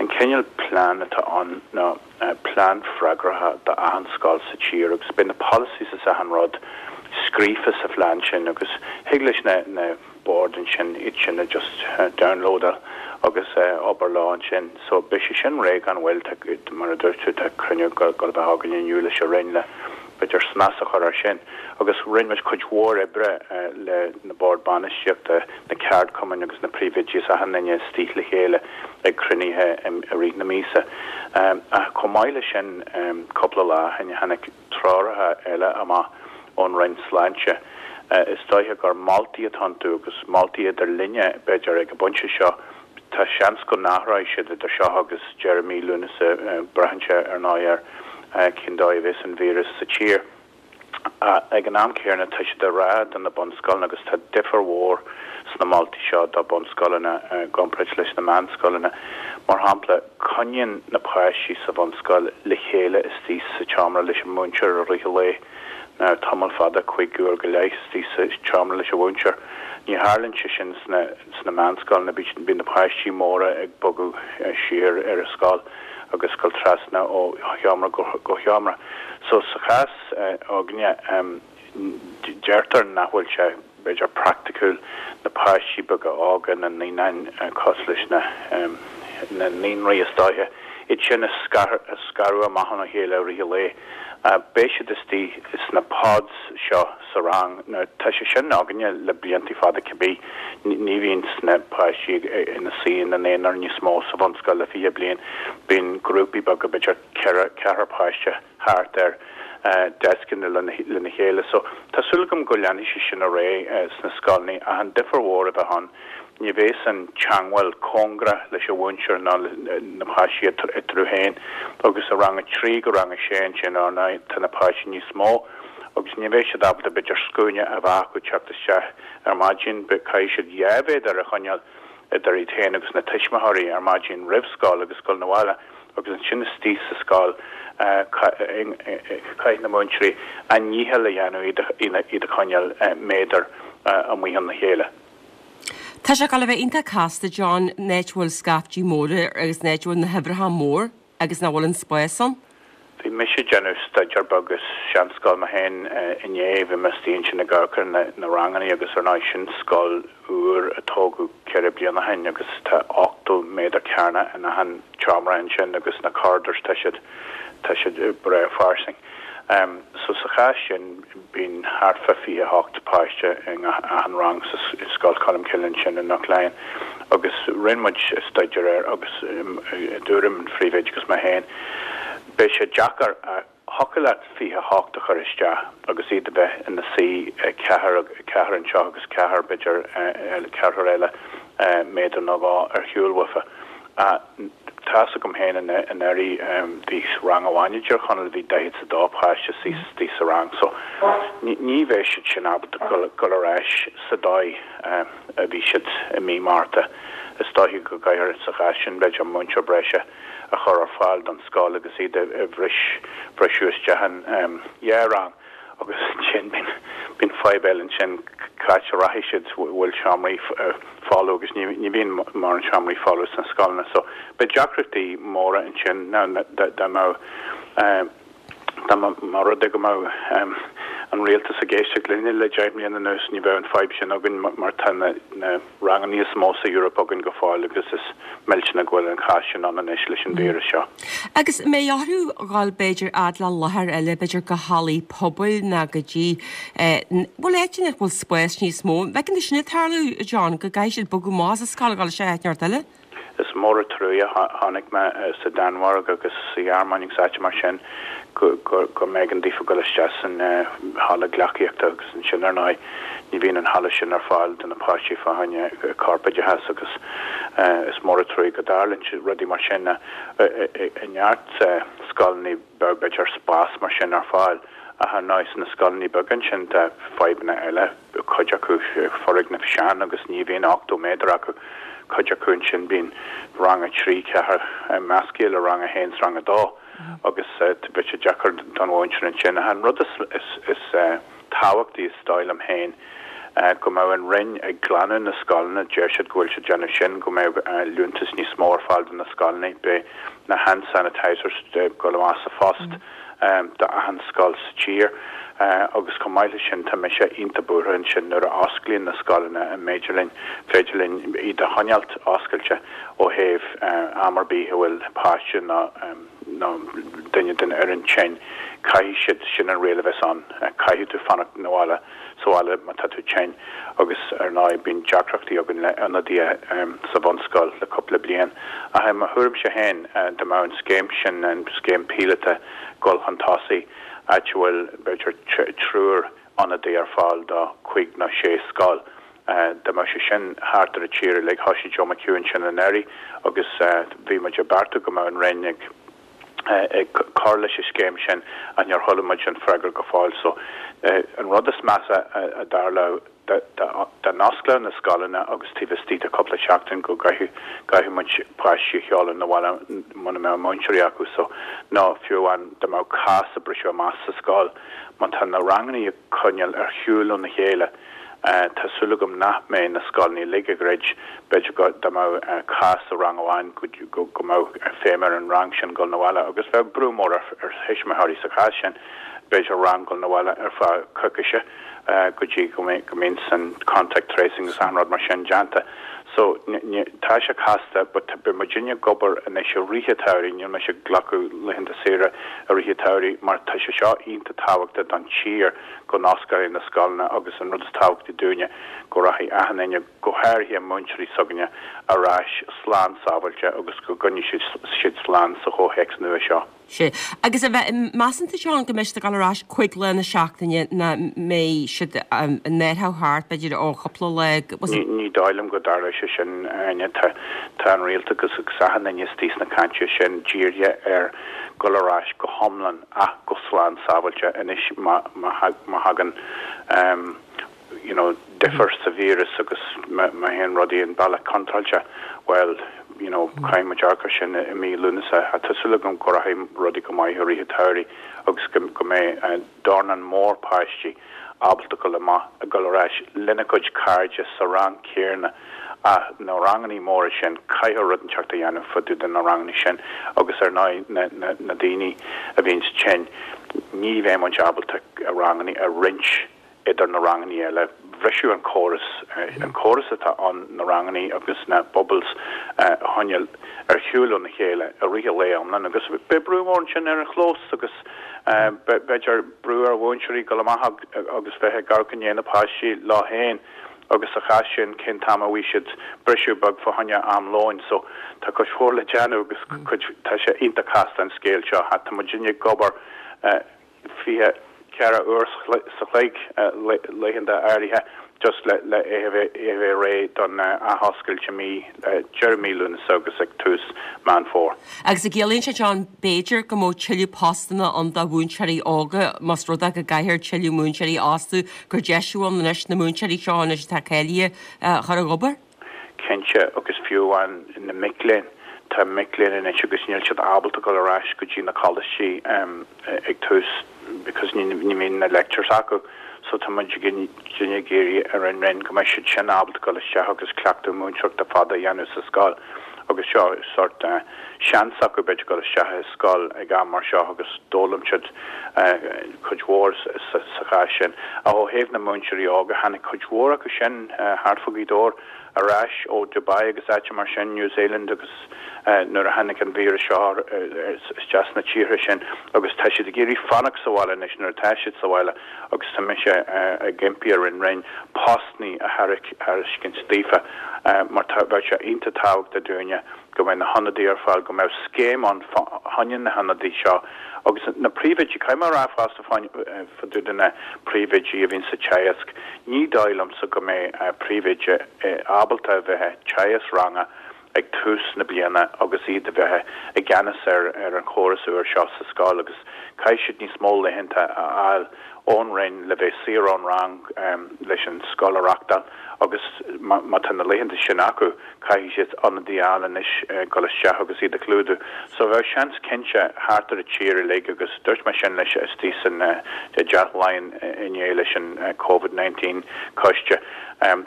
An cineál plean atá ann ná plean freagartha d'achan scoil sa tír agus beidh na policies is achan rud scríofa sa phlean sin agus thig leis na na boird ansin iad sin a just downloadáil agus obair leo ansin. So beidh sé sin réidh gan mhoill mar a dúirt tú tá cruinniú ag dul a bheith againn inniu leis an Roinn le b'fhéidir snas a chur air sin. Agus rinne muid cuid mhór oibre le na boird bainistíochta, na ceardchumainn agus na príomhoidí is achan duine istigh le chéile ag cruinnithe i rith na míosa. Ach chomh maith leis sin cúpla lá ó shin tháinig treoracha eile amach ón Roinn Sláinte. Is dóiche gur moltaí atá iontu agus moltaí idir linne b'fhéidir ag an bpointe seo. Tá seans go n-athróidh siad idir seo agus deireadh mí Lúnasa, braitheann sé ar ndóigh ar cén dóigh a bheas an víreas sa tír. Ag an am céanna tá siad ag rá do na bunscoileanna agus tá difear mhór sna moltaí seo do bunscoileanna i gcomparáid leis na meánscoileanna. Mar shampla, coinníonn na páistí sa bhunscoil le chéile istigh sa tseomra leis an múinteoir i rith an lae. Now tamall fada, cúig uair go leith istigh sa tseomra leis an mhúinteoir. Ní tharlaíonn sé sin sna sna meánscoileanna, bíonn na páistí móra ag bogadh siar ar an scoil agus dul trasna ó sheomra go sheomra. So sa chás againne deirtear nach bhfuil sé b'fhéidir praiticiúil na páistí beaga óga, na naíonáin cosúil leis na na naíonraí is dóiche, iad sin a scaradh amach óna chéile i rith an lae. Beidh siad istigh sna pods seo sa rang. Now tá sé sin againne le blianta fada cibé. Ní bhíonn na páistí ina suí ina n-aonar níos mó sa bhunscoil le fiche bliain. Bíonn grúpaí beaga b'fhéidir ceithre ceathrar páiste thart ar deascanna lena chéile. So tá súil agam go leanfaidh sé sin ar aghaidh sna scoileanna ach an difear mhór a bheith ann ní bheas an teangmháil cóngarach leis an mhúinteoir ná na páistí eatarthu féin agus i rang a trí go rang a sé ansin ar ndóigh tá na páistí níos mó agus ní bheidh siad ábalta b'fhéidir scuaine a bheith acu teacht isteach ar maidin caithfidh siad dhá mhéadar a choinneáil idir iad féin agus na tuismitheoirí ar maidin roimh scoil agus dul 'na bhaile agus ansin istigh sa scoil caithfidh na múinteoirí a ndícheall a dhéanamh iad a choinneáil méadar amuigh óna chéile. Tá sé ag dul a bheith iontach casta, John, an áit a bhfuil scaifte móra agus an áit a bhfuil na huimhreacha mór agus nach bhfuil an spás ann. Bhí mise ag déanamh staidéar beag i seanscoil mé féin inné, bhí mé istigh ansin ag amharc ar na ranganna agus ar ndóigh sin scoil úr a tógadh ceithre bliana ó shin agus tá ochtó méadar cearnach in achan tseomra ansin agus na corridors tá siad tá siad breá fairsing. So sa chás sin bíonn thart fá fiche a hocht páiste in achan rang sa Scoil Cholmcille ansin i nGort Laighean agus rinne muid staidéar air agus i dtuairim an phríomhoide agus mé féin beidh sé deacair thiocfadh leat fiche a hocht a chur isteach agus iad a bheith ina suí ceathrar ceathrar anseo agus ceathrar b'fhéidir ceathrar eile méadar nó dhó ar shiúl uafa. Tá's agam féin anuraidh bhí rang amháin i dTír Chonaill bhí daichead 's a dó páiste istigh sa rang so ní bheidh siad sin ábalta dul ar ais sa dóigh a bhí siad i mí Márta. Is dóiche go gcaithfear sa chás sin b'fhéidir múinteoir breise a chur ar fáil don scoil agus iad a bhriseadh isteach in dhá rang. Agus ansin bíonn bíonn fadhb eile ansin cá háit a rachaidh siad bhfuil seomraí folamh agus ní ní bhíonn mórán seomraí folamh sna scoileanna so beidh deacrachtaí móra ansin now dá mbeadh dá mba rud é go mbeadh an rialtas ag éisteacht linne le deich mbliana anuas ní bheadh an fadhb sin againn mar tá na na ranganna is mó sa Eoraip againn go fóill agus is millteanach go bhfuil an cás sin ann anois leis an víreas seo. Agus an mbeidh orthu dhul b'fhéidir fhad le láthair eile, b'fhéidir go hallaí pobail ná go dtí, bhuel áiteanna ina bhfuil spás níos mó. An bhfeiceann tú sin ag tarlú, a John, go gcaithfidh siad bogadh amach as an scoil, dhul isteach áit inteacht eile? Is mór an trua a chonaic mé sa Danmhairg agus sa Ghearmáin agus áiteanna mar sin go go mb'éigean daofa dul isteach san halla gleacaíochta agus ansin ar ndóigh ní bhíonn an halla sin ar fáil do na páistí fá choinne corpoideachas agus is mór an trua go dtarlaíonn rudaí mar sin i neart scoileanna beag b'fhéidir spás mar sin ar fáil ach ar ndóigh sna scoileanna beaga ansin tá fadhbanna eile cuid acu foirgnimh sean agus ní bhíonn ochtó méadar acu. Cuid acu ansin bíonn rang a trí, ceathair measctha le rang a haon 's rang a dó agus bheadh sé deacair don mhúinteoir ansin. Ach an rud is tábhachtaí is dóigh liom féin Go mbeadh an Roinn ag glanadh na scoileanna, deir siad go bhfuil siad déanamh sin, go mbeadh liúntas níos mó ar fáil do na scoileanna, beidh na hand sanitizers ag dul amach sa phost d'achan scoil sa tír agus chomh maith leis sin tá mise iontach buartha ansin nuair a osclaíonn na scoileanna an mb'fhéidir linn féidir linn iad a choinneáilt oscailte ó thaobh am ar bith a bhfuil páiste nó nó duine den fhoireann tinn, caithfidh siad, sin an riail a bheas ann, caithfidh tú fanacht na bhaile, sa bhaile má tá tú tinn agus ar ndóigh bíonn deacrachtaí againn le ionadaithe sa bhunscoil le cúpla bliain. Ach i mo thuairimse féin, dá mbeadh an scéim sin, an scéim píolóta, dul chun tosaigh, áit a bhfuil b'fhéidir triúr ionadaí ar fáil do cúig nó sé scoil, dá mbeadh sé sin thart ar an tír uilig, thoisigh Joe McHugh ansin anuraidh agus bhí muid ag beartú go mbeadh an Roinn ag ag cur leis an scéim sin ach níor chuala muid an freagra go fóill. So an rud is measa a tharlódh dá n-osclódh na scoileanna agus taobh istigh de cúpla seachtain go gcaithfeadh muid páistí a sheoladh 'na bhaile muna mbeadh múinteoirí acu so nó fiú amháin dá mbeadh cás ag briseadh amach sa scoil má tá na ranganna á coinneáil ar shiúl óna chéile tá súil agam nach mbeidh na scoileanna uilig ag druid, b'fhéidir go dá mbeadh cás sa rang amháin go go mbeadh feidhm ar an rang sin dul 'na bhaile agus bheadh brú mór ar thuismitheoirí sa chás sin, b'fhéidir rang dul 'na bhaile ar feadh coicíse go dtí go mbíonn an contact tracing agus achan rud mar sin déanta. So tá sé casta but beidh muidinne ag obair anois i rith an tsamhraidh, níl mise ag glacadh laethanta saoire i rith an tsamhraidh mar tá sé seo iontach tábhachtach don tír go n-osclóidh na scoileanna agus an rud is tábhachtaí dúinne go rachaidh achan duine, go háirithe múinteoirí s'againne, ar ais slán sábháilte agus go gcoinneoidh siad slán sa chomhthéacs nua seo. Sea. Agus a bheith, measann tú, Seán, go mbeidh siad ag dul ar ais cúig lá na seachtaine nó mbeidh siad an athrú thart, b'fhéidir, ó chúpla lá, was it? Ní dóigh liom go dtarlóidh sé sin, Áine. Tá, tá an rialtas agus agus achan duine istigh sna cainteanna sin dírithe ar dhul ar ais go hiomlán ach go slán sábháilte anois má, má, má thagann you know, difear sa víreas agus má théann rudaí an bealach contráilte, bhuel, you know, caithfidh muid amharc air sin i mí Lúnasa. Tá súil agam go rachaidh rudaí go maith i rith an tsamhraidh agus go, go mbeidh dornán mór páistí ábalta dul amach, dul ar ais lena gcuid cairde sa rang céanna ach na ranganna móra sin, caithfear rud inteacht a dhéanamh fá dtaobh de na ranganna sin agus ar ndóigh na, na, na daoine a bhíonns tinn, ní bheidh muid ábalta ranganna a roinnt idir na ranganna eile. Bhrisfeadh an córas, an córas atá ann na ranganna agus na bubbles a choinneáil ar shiúl óna chéile i rith an lae iomlán agus beidh brú mór ansin ar an chlós agus b'fhéidir brú ar mhúinteoirí dul amach agus bheith ag amharc i ndiaidh na páistí leo féin agus sa chás sin cén t-am a bhfaighidh siad briseadh beag fá choinne am lóin. So tá cuid mhór le déanamh agus cuid, tá sé iontach casta an scéal seo. Tá muidinne ag obair fiche ceithre uair sa chloig laethanta áirithe just le le é a bheith é a bheith réidh don athoscailt i mí deireadh mí Lúnasa agus ag tús Meán Fómhair. Agus an gciallaíonn sé John b'fhéidir go mbeadh tuilleadh postanna ann do mhúinteoirí óga más rud é go gcaithfear tuilleadh múinteoirí a fhostú gur deis ann anois na múinteoirí seo anois atá cáilithe a chur ag obair? Cinnte, agus fiú amháin na mic léinn, tá mic léinn anois agus níl siad ábalta dul ar ais go dtí na coláistí ag tús because ní ní bhíonn na lectures acu so tá muid ag ag iarraidh ar an Roinn go mbeidh siad sin ábalta dul isteach agus cleachtadh múinteoireachta fada a dhéanamh sa scoil agus seo sort seans acu b'fhéidir dul isteach i scoil ag am mar seo agus d'fhoghlaim siad cuid mhór sa chás sin. Ach ó thaobh na múinteoirí óga, tháinig cuid mhór acu sin thart fá Ghaoth Dobhair ar ais ó Dubai agus áiteanna mar sin, New Zealand agus nuair a tháinig an víreas seo isteach sna tíortha sin agus tá siad ag iarraidh fanacht sa bhaile anois nuair atá siad sa bhaile agus tá mise ag impí ar an Roinn postanna a thairiscint daofa mar tá bheadh sé iontach tábhachtach dúinne go mbeidh na hionadaí ar fáil, go mbeadh scéim ann fá choinne na hionadaí seo agus na príomhoidí, caithfidh mé a rá fosta fá dtaobh de na príomhoidí a bhíonn sa teagasc, ní dóigh liomsa go mbeidh príomhoide ábalta a bheith ag teagasc ranga ag tús na bliana agus iad a bheith i gceannas ar ar an chóras úr seo sa scoil agus caithfidh siad níos mó laethanta a fháil ón Roinn le bheith saor ón rang leis an scoil a reachtáil agus má tá na laethanta sin acu, caithfidh siad ionadaí a fháil anois dul isteach agus iad a chlúdú. So bheadh seans cinnte thart ar an tír uilig agus dúirt mé sin leis istigh san dTeach Laighean inné leis an Covid nineteen coiste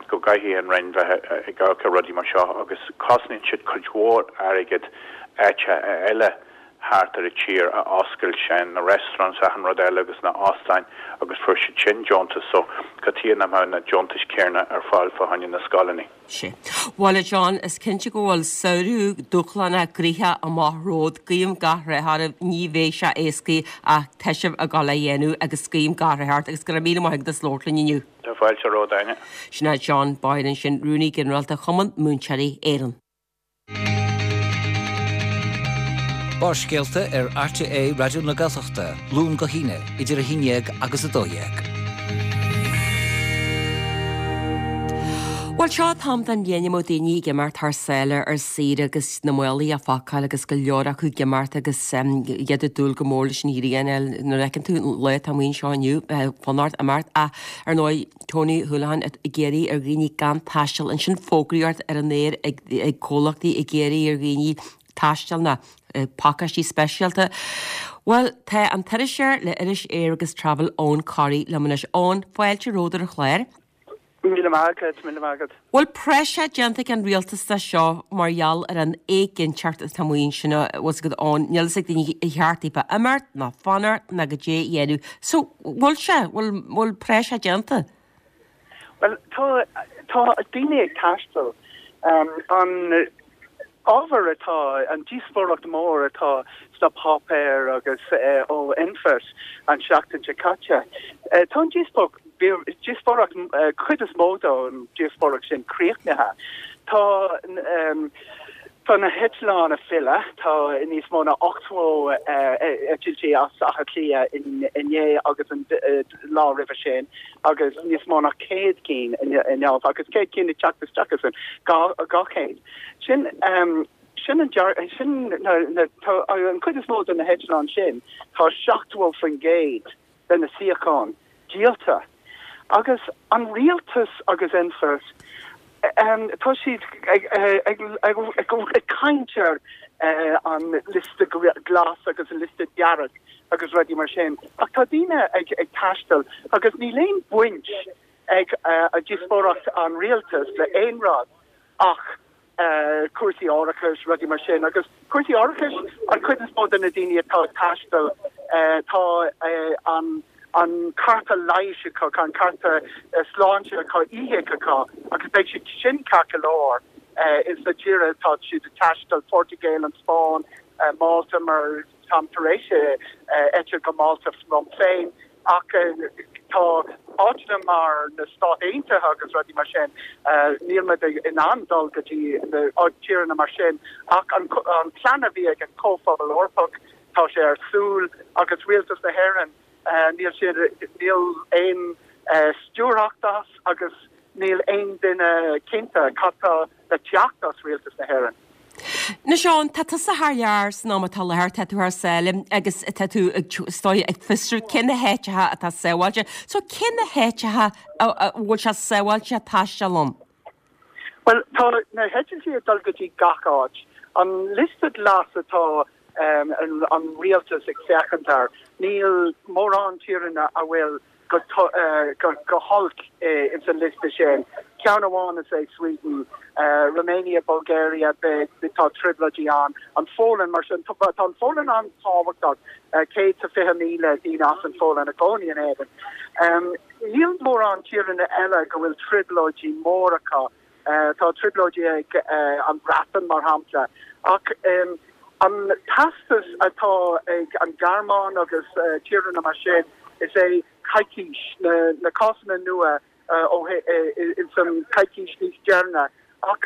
go gcaithfidh an Roinn bheith ag amharc ar rudaí mar seo agus cosnaíonn siad cuid mhór airgid áiteacha eile thart ar an tír a oscailt, sin na restaurants achan rud eile agus na óstáin agus fuair siad sin deontas so cad chuige nach mbeadh na deontais céanna ar fáil fá choinne na scoileanna. Sea. Bhuel a John, is cinnte go bhfuil samhradh dúshlánach gnoitheach amach romhat. Guím gach rath oraibh, ní bheidh sé éascaí ach tá sibh ag dul á dhéanamh agus guím gach rath ort agus go raibh míle maith agat as labhairt linn inniu. Tá fáilte romhat, Áine. Sin é John Boyle ansin, Rúnaí Ginearálta Chumann Múinteoirí Éireann. Barrscéalta ar RTÉ Raidió na Gaeltachta, Luan go hAoine, idir a haon dhéag agus a dó dhéag. Bhuel, seo an t-am den bhliain a mbíonn daoine ag imeacht thar sáile ar saoire agus na málaí á phacáil agus go leor acu ag imeacht agus iad ag dúil go mór leis an ghrian. Nuair a fheiceann tú an lá atá amuigh anseo inniu, fonn ort imeacht ach ar ndóigh Tony Holohan ag iarraidh ar dhaoine gan taisteal. Ansin fógraíocht ar an aer ag comhlachtaí ag iarraidh ar dhaoine taisteal ná pacáistí speisialta. Bhuel, tá an t-iriseoir le iris Air agus Travel, Eoghan Corry, liom anois. Eoghan, fáilte romhat ar an chlár. Míle maith agat, míle maith agat. Bhfuil praiseach déanta ag an rialtas de seo mar gheall ar an éiginnteacht atá amuigh ansin, bhfuil 's agat Eoghan, níl fhios ag daoine ar cheart daofa imeacht ná fanacht ná goidé a dhéanamh. So, bhfuil sé, bhfuil, bhfuil praiseach déanta? Bhuel, tá, tá daoine ag taisteal. An ábhar atá, an díospóireacht mór atá sna páipéir agus ó Infot an seachtain seo caite, tá an díospóireacht, cuid is mó den díospóireacht sin críochnaithe. Tá Tá na heitleáin ag filleadh, tá níos mó ná ochtó eitiltí as Áth Cliath inné agus an lá roimhe sin agus níos mó ná céad cinn inniu agus céad cinn ag teacht isteach as an dhá chéad. Sin sin an sin na an chuid is mó de na heitleáin sin, tá seachtó faoin gcéad de na suíocháin díolta. Agus an rialtas agus Infot, tá siad ag caint ar an liosta glas agus an liosta dearg agus rudaí mar sin, ach tá daoine ag taisteal agus níl aon bhaint ag díospóireacht an rialtais le aon rud ach cúrsaí árachais, rudaí mar sin. Agus cúrsaí árachais, an chuid is mó de na daoine atá ag taisteal, tá an an cárta leighis acu, an cárta sláinte acu, EHIC acu, agus beidh siad sin ceart go leor ins na tíortha atá siad ag taisteal, Portaingéil, an Spáinn, Málta, mar táim tar éis eitilt go Málta liom féin. Ach tá áiteanna mar na Stáit Aontaithe agus rudaí mar sin, níl muid in ann dul go dtí na tíortha mar sin. Ach an plean a bhí ag an Chomhphobal Eorpach, tá sé ar siúl agus Rialtas na hÉireann, níl siad, níl aon stiúrthacht as agus níl aon duine cinnte cad tá le teacht as Rialtas na hÉireann. Anois a Eoghain, tá tusa thar lear san am atá i láthair, tá tú thar sáile agus tá tú is dóigh ag fiosrú cé na háiteacha atá sábháilte. So cé na háiteacha a bhfuil sé sábháilte taisteal ann? Bhuel, tá na heitiltí ag dul go dtí gach áit. An liosta glas atá an rialtas ag féachaint air, níl mórán tíortha a bhfuil go holc ins an liosta sin. Ceann amháin is é Sweden, Romania, Bulgaria, tá trioblóidí ann, an Pholainn mar sin. Tá an Pholainn an-tábhachtach, céad is fiche míle daoine as an Pholainn i gcónaí in Éirinn. Níl mórán tíortha eile go bhfuil trioblóidí móra acu. Tá trioblóidí ag an Bhreatain mar shampla. Ach an teastas atá ag an Ghearmáin agus tíortha mar sin is é coicís, na cásanna nua ins an coicís níos deireanaí. Ach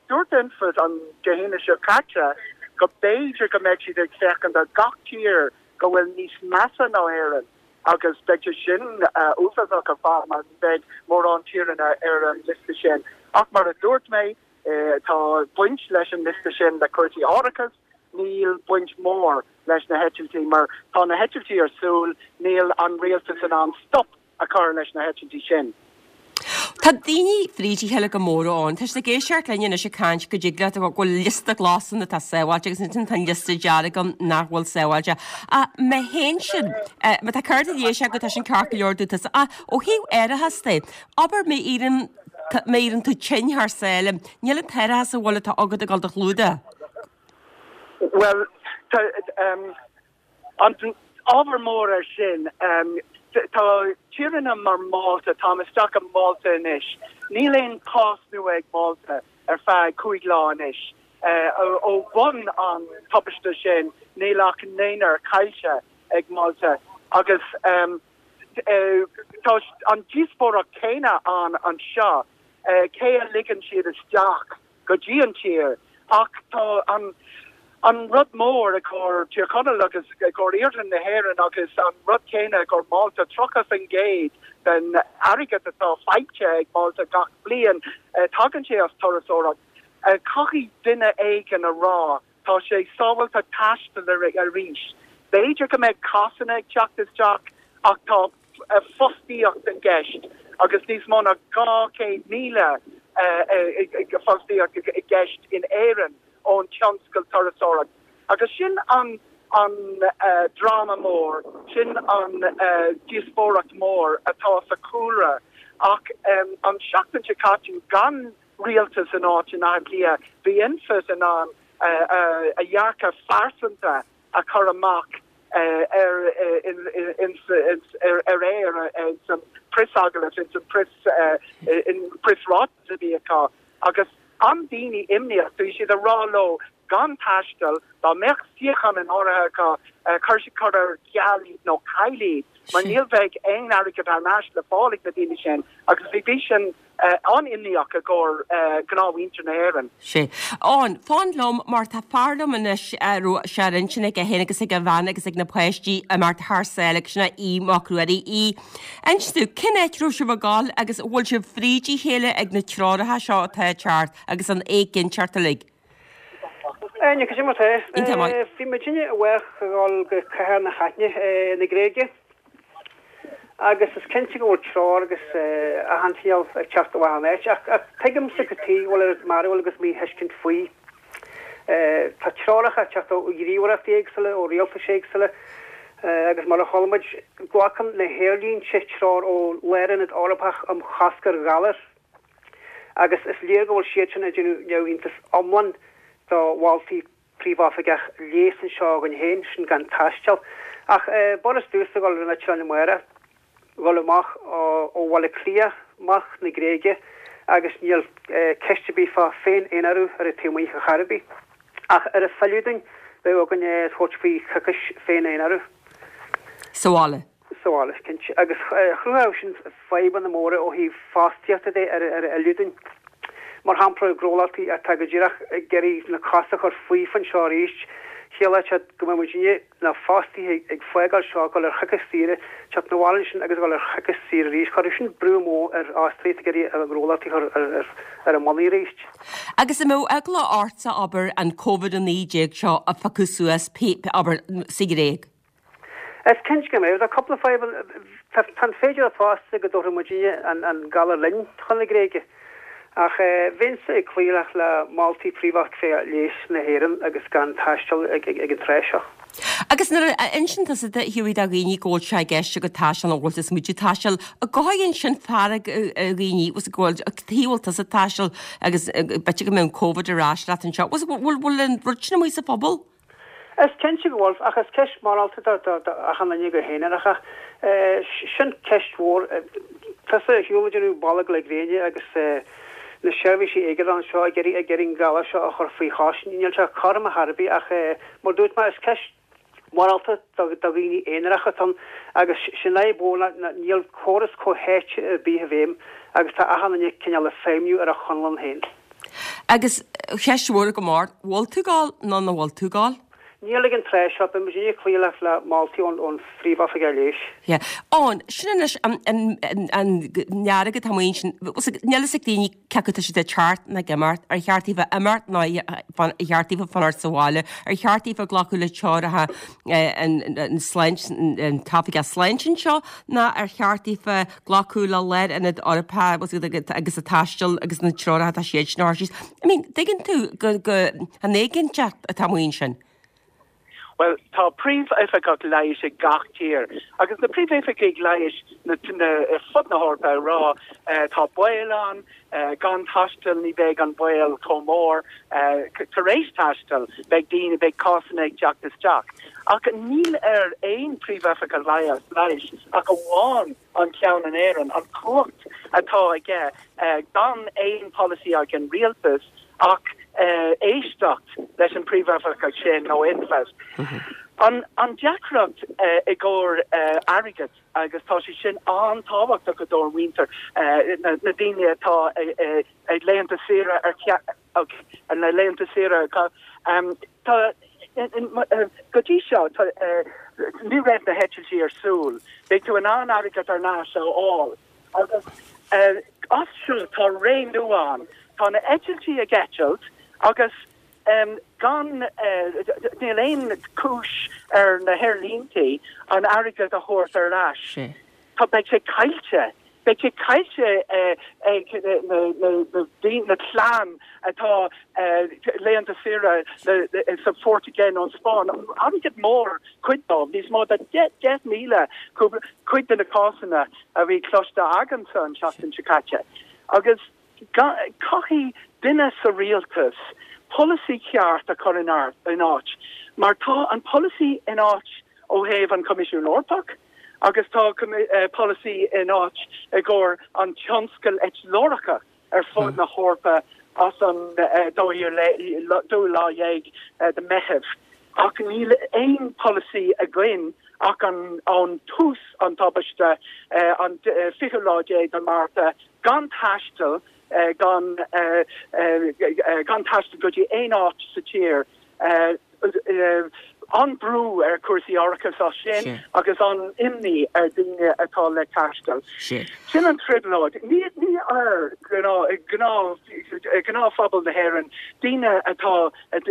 dúirt Infot an Dé hAoine seo caite go b'fhéidir go mbeidh siad ag féachaint ar gach tír go bhfuil níos measa ná Éirinn agus beidh sé sin uafásach ar fad mar ní bheidh mórán tíortha ar an liosta sin. Ach mar a dúirt mé, tá baint leis an liosta sin le cúrsaí árachais, níl baint mór leis na heitiltí mar tá na heitiltí ar siúl, níl an rialtas in ann stop a chur leis na heitiltí sin. Tá daoine fríd a chéile go mór ann. Tá siad ag éisteacht linn anois ag caint go dtig leat go bhfuil liosta glas ann atá sábháilte agus ansin tá an liosta dearg ann nach bhfuil sábháilte. Ach má théann sin, má tá cárta leighis agat tá sin ceart go leor dúinn tusa. Ach ó thaobh árachas de, abair má éiríonn má éiríonn tú tinn thar sáile, níl an t-árachas a bhfuil atá agat ag dul do chlúdach. Bhuel, tá an ábhar mór ar sin, tá tíortha mar Málta, táim isteach i Málta anois, níl aon chás nua ag Málta ar feadh cúig lá anois. Ó bhun an tubaiste sin níl ach naonúr caillte ag Málta agus tá an díospóireacht céanna ann anseo, cé a ligeann siad isteach go dtí an tír ach tá an an rud mór i gcomhair Tír Chonaill agus i gcomhair iarthar na hÉireann agus an rud céanna i gcomhair Málta, tríocha faoin gcéad den airgead atá faighte ag Málta gach bliain, tagann sé as turasóireacht. Caithfidh duine éigin a rá tá sé sábháilte taisteal arís. B'fhéidir go mbeidh cásanna ag teacht isteach ach tá fostaíocht i gceist agus níos mó ná dhá chéad míle fostaíocht i gceist in Éirinn ón tionscal turasóireacht. Agus sin an an dráma mór, sin an díospóireacht mór atá sa chúlra. Ach an seachtain seo caite gan rialtas in áit in Áth Cliath, bhí Infit in ann a dhearcadh phearsanta a chur amach ar ar aer san preasagallamh in san preasráiteas a bhí acu agus an daoine imníoch bhí siad a rá leo gan taisteal dá mbeadh suíochán in áirithe acu cur cur ar ceal iad nó caill iad mar níl bheidh aon airgead thar n-ais le fáil ag na daoine sin agus bhí bhí sin an-imníoch i gcomhair gnáthmhuintir na hÉireann. Sea. Eoin, fan liom mar tá fear liom anois a raibh sé ar intinn aige féin agus ag a bhean agus ag na páistí imeacht thar sáile agus sin é Aodh Mac Ruairí. Aodh, inis domh, cén áit a raibh sibh ag gabháil agus an bhfuil sibh fríd a chéile ag na treoracha seo atá ag teacht agus an éiginnteacht uilig? Áine, cad é mar tá? Iontach maith. Bhí muidinne amach ag dul go cathair na hAithne na Gréige. Agus is cinnte go bhfuil treoir agus achan chineál ag teacht ó achan áit, ach tuigimse cad chuige go bhfuil oiread mearbhaill agus míthuiscint faoi. Tá treoracha ag teacht ó ghníomhaireachtaí éagsúla, ó rialtais éagsúla, agus mar a chuala muid, glacann na haerlínte treoir ó Lárionad Eorpach um Chosc ar Ghalair, agus is léir go bhfuil siad sin ag déanamh neamhiontas iomlán do mholtaí Príomhoifigeach Leighis anseo againn féin, sin gan taisteal. Ach b'fhurast domhsa dhul ar an eitleán amárach, dhul amach ó Bhaile Átha Cliath amach na Gréige agus níl ceist ar bith fá féin-aonarú ar an taobh amuigh ar chor ar bith. Ach ar a filleadh dúinn, beidh againn tabhairt faoi choicís féin-aonarú. Sa bhaile. Sa bhaile, cinnte. Agus chruthódh sin fadhbanna móra ó thaobh fostaíochta de ar a fhilleadh dúinn. Mar shampla, gnólachtaí atá go díreach ag iarraidh na cosa a chur faofa anseo arís, chiallódh sé go mbeadh muidinne, na fostaithe, ag fágáil seo, ag dul ar choicís saoire, teacht 'na bhaile ansin agus ag dul ar choicís saoire arís. Chuirfeadh sin brú mór ar fhostaithe atá ag iarraidh a ngnólachtaí a chur ar a mbonnaí arís. Agus an mbeadh eagla ortsa, abair, an Covid a naoi déag seo a phiocadh suas, abair, sa Ghréig? Is cinnte go mbeadh. Tá cúpla fadhb ann. Tá an féidearthacht fosta go dtabharfadh muidinne an galar linn chun na Gréige. Ach bheinnse ag cloí le moltaí Phríomhoifigeach Leighis na hÉireann agus gan taisteal ag an tráth seo. Agus nuair a insíonn tusa do Hughie do dhaoine go bhfuil sé i gceist agat taisteal nó go bhfuil tú ag smaoitiú taisteal, an gcothaíonn sin fearg ar dhaoine, go bhfuil, cad chuige a bhfuil tusa ag taisteal agus b'fhéidir go mbeidh an Covid ar ais leat anseo. Bhfuil an rud sin amuigh sa phobal? Is cinnte go bhfuil, ach is ceist mhorálta do achan duine go haonarach é. Sin ceist mhór. Tusa ar shiúl ag déanamh bolg le gréine agus na seirbhísí éigeandála anseo ag iarraidh ag iarraidh an galar seo a chur faoi chois. Níl sé cothrom ar chor ar bith ach mar dúirt mé is ceist mhorálta do dhaoine aonaracha atá ann agus sin an fhadhb mhór ná níl córas comhtháite ar bith i bhfeidhm agus tá achan duine cineál ag feidhmiú ar a chonlán féin. Agus ceist mhór go mór, bhfuil tú ag gabháil nó nach bhfuil tú ag gabháil? Níl ag an tráth seo, beidh muid ag cloí le le moltaí ón ón Phríomh-Oifigeach Leighis. Yeah. Eoin, sin anois an an an an nearg atá amuigh ansin, níl fhios ag daoine cé acu tá siad ag teacht nó ag imeacht, ar cheart daofa imeacht nó ar cheart daofa fanacht sa bhaile, ar cheart daofa glacadh le treoracha an an sláint an t-oifigeach sláinte anseo nó ar cheart daofa glacadh le Lárionad Eorpach agus a taisteal agus na treoracha atá siad sin a thabhairt síos. I mean, tuigeann tú go go an éiginnteacht atá amuigh ansin. Bhuel, tá príomhoifigeach leighis ag gach tír, agus na príomhoifigigh leighis na, na, ar fud na hEorpa ag rá tá baol ann, gan taisteal ní bheidh an baol chomh mór, tar éis taisteal beidh daoine, beidh cásanna ag teacht isteach. Ach níl ar aon príomhoifigeach leighis ach amháin an ceann in Éirinn, an chumhacht atá aige gan aon polasaí ag an rialtas ach éisteacht leis an príomhoifigeach sin nó Infest. An an deacracht i gcomhair airgead agus tá sé sin an-tábhachtach i dóibh mhuintir na na daoine atá ag laethanta saoire ar ar na laethanta saoire tá go dtí seo tá ní raibh na heitiltí ar siúl beidh tú in ann airgead ar ais a fháil agus as seo tá ré nua ann. Tá na eitiltí ag eitilt agus gan, níl aon chúis ar na haerlíntí an airgead a thabhairt ar ais. Tá, beidh sé caillte. Beidh sé caillte ag na clann atá laethanta saoire sa Phortaingéil nó an Spáinn. Airgead mór cuid dóibh, níos mó ná deich míle cuid de na cásanna a bhí cloiste agamsa an tseachtain seo caite. Agus caithfidh duine sa rialtas polasaí ceart a chur in áit, mar tá an polasaí in áit ó thaobh an Choimisiún Eorpach agus tá polasaí in áit i gcomhair an tionscal eitleoireachta ar fud na hEorpa as an dóú lá dhéag de Meitheamh. Ach níl aon polasaí againn ach an ón tús an tubaiste an fichiú lá déag de Márta gan taisteal gan gan taisteal go dtí aon áit sa tír. An brú ar cúrsaí árachais as sin agus an imní ar daoine atá le taisteal. Sin an trioblóid. Ní ní ar gnáth gnáthphobal na hÉireann, daoine atá ag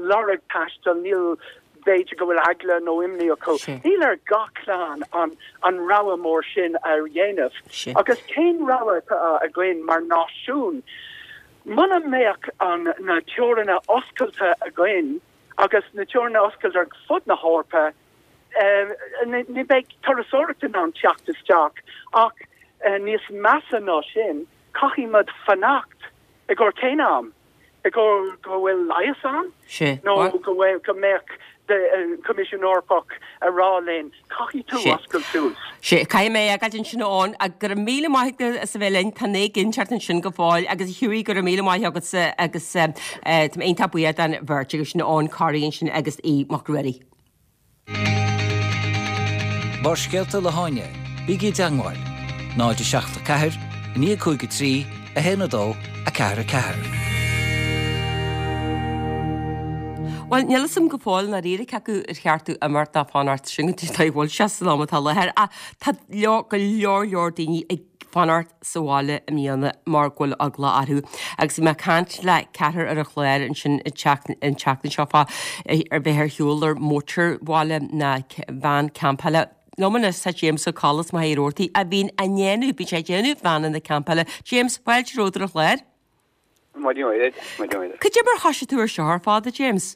lorg taisteal, níl b'fhéidir go bhfuil eagla nó imní acu. Níl ar gach clann an an rogha mór sin a dhéanamh. Agus cén rogha atá againn mar náisiún? Muna mbeadh an na teoranna oscailte againn agus na teoranna oscailte ar fud na hEorpa, ní bheidh turasóireacht in ann teacht isteach ach níos measa ná sin, caithfidh muid fanacht i gcomhair cén am? I gcomhair go bhfuil leigheas ann? Nó go bhfuil go mbeadh Coimisiún Eorpach a rá linn, caithfidh tú oscailt suas. Sea, caithfidh mé a fhágáilt ansin Eoin, go raibh míle maith agat as a bheith linn, tá an éiginnteacht ansin go fóill agus a Hughie go raibh míle maith agatsa agus tá mé iontach buíoch den bheirt agaibh sin Eoin Corry ansin agus Aodh Mac Ruairí. Barrscéalta le hÁine, bígí i dteangmháil, náid a seacht a ceathair, a naoi a cúig a trí, a haon a dó, a ceathair a ceathair. Bhuel, níl fhios a'm go fóill ndáiríre cé acu ar cheart domh imeacht nó fanacht sin go dtí tá bhfuil sé san am atá i láthair ach tá go leor leor daoine ag fanacht sa bhaile i mbliana mar go bhfuil eagla orthu. Agus bhí mé ag caint le ceathrar ar an chlár ansin an tseachtain seo fá ar bheith ar shiúl ar mótarbhaile ná veain campála. Liom anois tá James Ó Colla as Machaire Rabhartaigh a bhíonn á ndéanamh, bíonn sé ag déanamh veaineanna campála. James, fáilte romhat ar an chlár. Maidin mhaith duit, maidin mhaith duit. Cad é mar thoisigh tú ar seo ar fad, a James?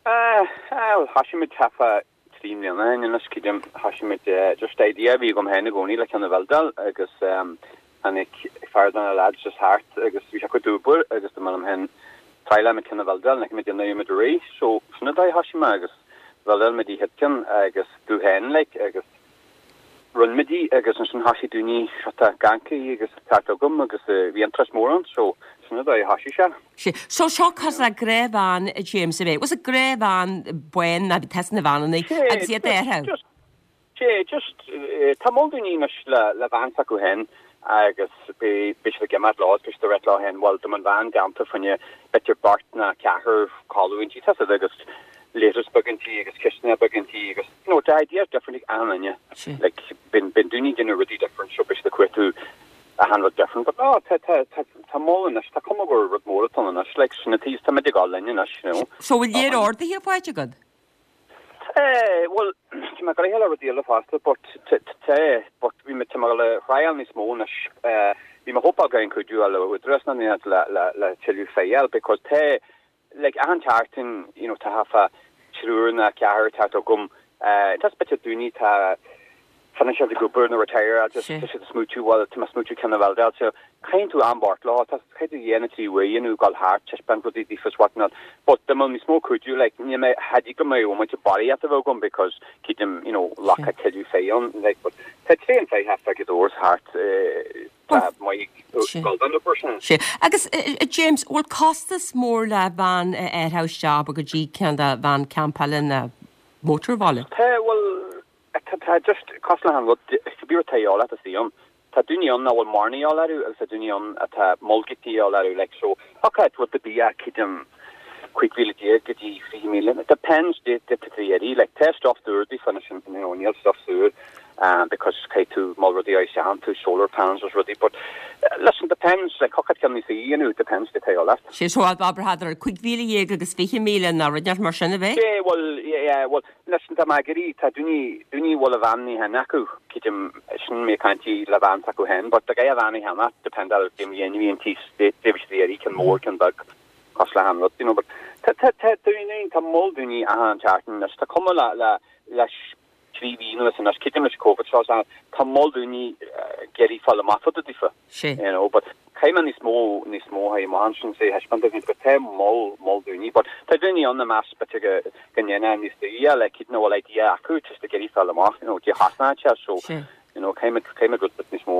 Ah, bhuel, thoisigh muid thart fá trí mbliana ó shin anois, creidim. Thoisigh muid, just idea a bhí agam féin i gcónaí le ceann a bhuildáil agus tháinig fear de na lads just thart agus bhí sé cuid d'obair agus dúirt mé liom féin trialfaidh muid ceann a bhuildáil, ní fhaca muid déanamh muid arís. So sin an dóigh a thoisigh mé agus bhuildáil muid an chéad ceann agus domh féin like agus Rinne muid í agus ansin thoisigh daoine sort of ag amharc agus ag teacht chugam agus bhí interest mór ann so sin an dóigh a thoisigh sé. Sea. So seo cosúil le gnáthveain a James ab é? Was it gnáthveain bán ná bhí tusa na veaineanna agus iad Sea, ar just, sea, just, tá moll daoine anois le le veain s'acu féin agus beidh siad ag imeacht leo, beidh siad ag rá leo féin, bhuel, dá mbeadh an veain déanta fá choinne b'fhéidir beirt ná ceathrar codladh inti, tá siad agus leithreas beag inti agus cistineach beag inti agus, you know, tá ideas different ag achan duine. Like, bíonn daoine ag déanamh rudaí different so beidh siad ag cuartú achan rud different, but no, tá, tá, tá, tá moll anois, tá cuma gur rud mór atá ann anois, like, sin an taobh, tá muid ag dul linn anois, you know. So bhfuil léir orduithe faighte agat? Eh, bhuel, tá mé ag gabháil le rudaí eile fosta, but tá, but bhí mé, tá mé le thriáil níos mó anois, eh, bhí mé ag hópáil go an cuidiú le údarás na le, le, le tuilleadh fáil, because tá, like, achan tseachtain, you know, tá thart fá triúr nó ceathrar teacht chugam, eh, tá b'fhéidir daoine tá financial ag obair nó retire just tá siad ag smaoitiú bhuel tá mé ag smaoitiú ceann a bhuildeáil so caithfidh tú am bart lá tá caithfidh tú dhá nó trí uair nó gabháil thart taispeáint rudaí daofa is what not but dá mbeadh níos mó cuidiú like níl mé cha dtig go mbeidh muid barraíocht a bheith agam because cídim you know lacha tuilleadh féith ann like but tá tréan féith thart ag doors thart eh, tá maith gabháil don obair sin. Sé. Agus eh, eh, James, bhfuil costas mór le veain a athrú isteach go dtí ceann de veain campála nó mótarbhaile? Tá bhuel tá tá just cosúil le an rud cibé rud atá a dhíobháil leat is ann. Tá daoine ann nach bhfuil mórán a dhíobháil orthu agus tá daoine ann atá moll de dhíobháil orthu like so okay rud ar bith a cídim cúig mhíle déag go dtí fiche míle. It depends de de tá tú iarraidh like tá stuff dúr daofa anois you know níl stuff saor um, because caithfidh tú moll rudaí a isteach tú solar panels agus rudaí but uh, listen depends like cad ceann níos you know depends de tá leat. Sé so abair cúig mhíle dhéag agus fiche míle nó rud mar sin a bheith? Yeah, well, yeah, yeah, well, listen, tá mé ag iarraidh tá daoine daoine bhfuil a veain cheana acu cídim sin mé caint le veain acu féin, but tá a veain cheana depend ar cén dhéanamh an tí iarraidh ceann mór ceann beag cosúil le han rud, you know, but tá tá tá daoine tá moll daoine achan tseachtain tá cuma le le leis trí mhí anuas anois cídim leis COVID seo tá moll daoine ag iarraidh fáil amach fá dtaobh daofa. Sé. You know, but caithfidh mé níos mó níos mó ha má sin sé taispeáint go tá moll moll daoine, but tá daoine ann na meas b'fhéidir go go ndéana níos daoine le cíd nó bhfuil idea acu just ag iarraidh fáil amach, you know, dé hasna so Sé. you know, caithfidh mé caithfidh mé rud níos mó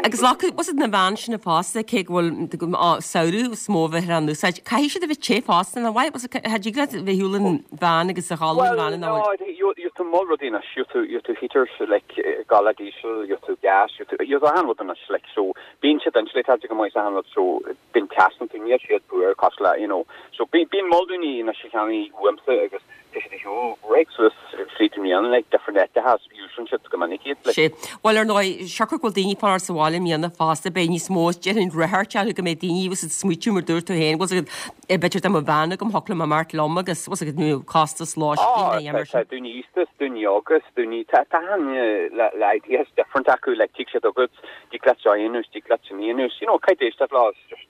Agus le was na veain sin fosta cé go bhfuil samhradh is mó bheith an úsáid. Caithfidh siad a bheith te fosta na bhaid cha dtig leat bheith shiúl an veain agus a ghabháil an veain no, you tú moll rudaí anois, you tú you tú heaters like gala diesel, you tú gas, you tú you achan rud anois like so bíonn siad insulated go maith achan rud so bíonn teas tú níl siad fuar cosúil le you know so bíonn bíonn moll daoine anois a cheannaigh uaimse agus tá siad shiúl réidh suas fríd an mbliain like different áiteacha úsáideann siad go minic iad like. Sé. Bhuel ar ndóigh siocair go bhfuil daoine fanacht sa bhaile i mbliana fosta beidh níos mó déarfainn ráchairt orthu go mbeidh daoine was ag smaoitiú mar dúirt tú féin was ag b'fhéidir dá mbeadh veain agam thiocfadh liom imeacht liom agus was ag nó costas lóistín a dhéanamh Tá daoine aosta, daoine óga, daoine tá tá le le ideas different acu like tig siad agat tig leat seo a dhéanamh, tig leat sin a dhéanamh, you know caithfidh éisteacht leo just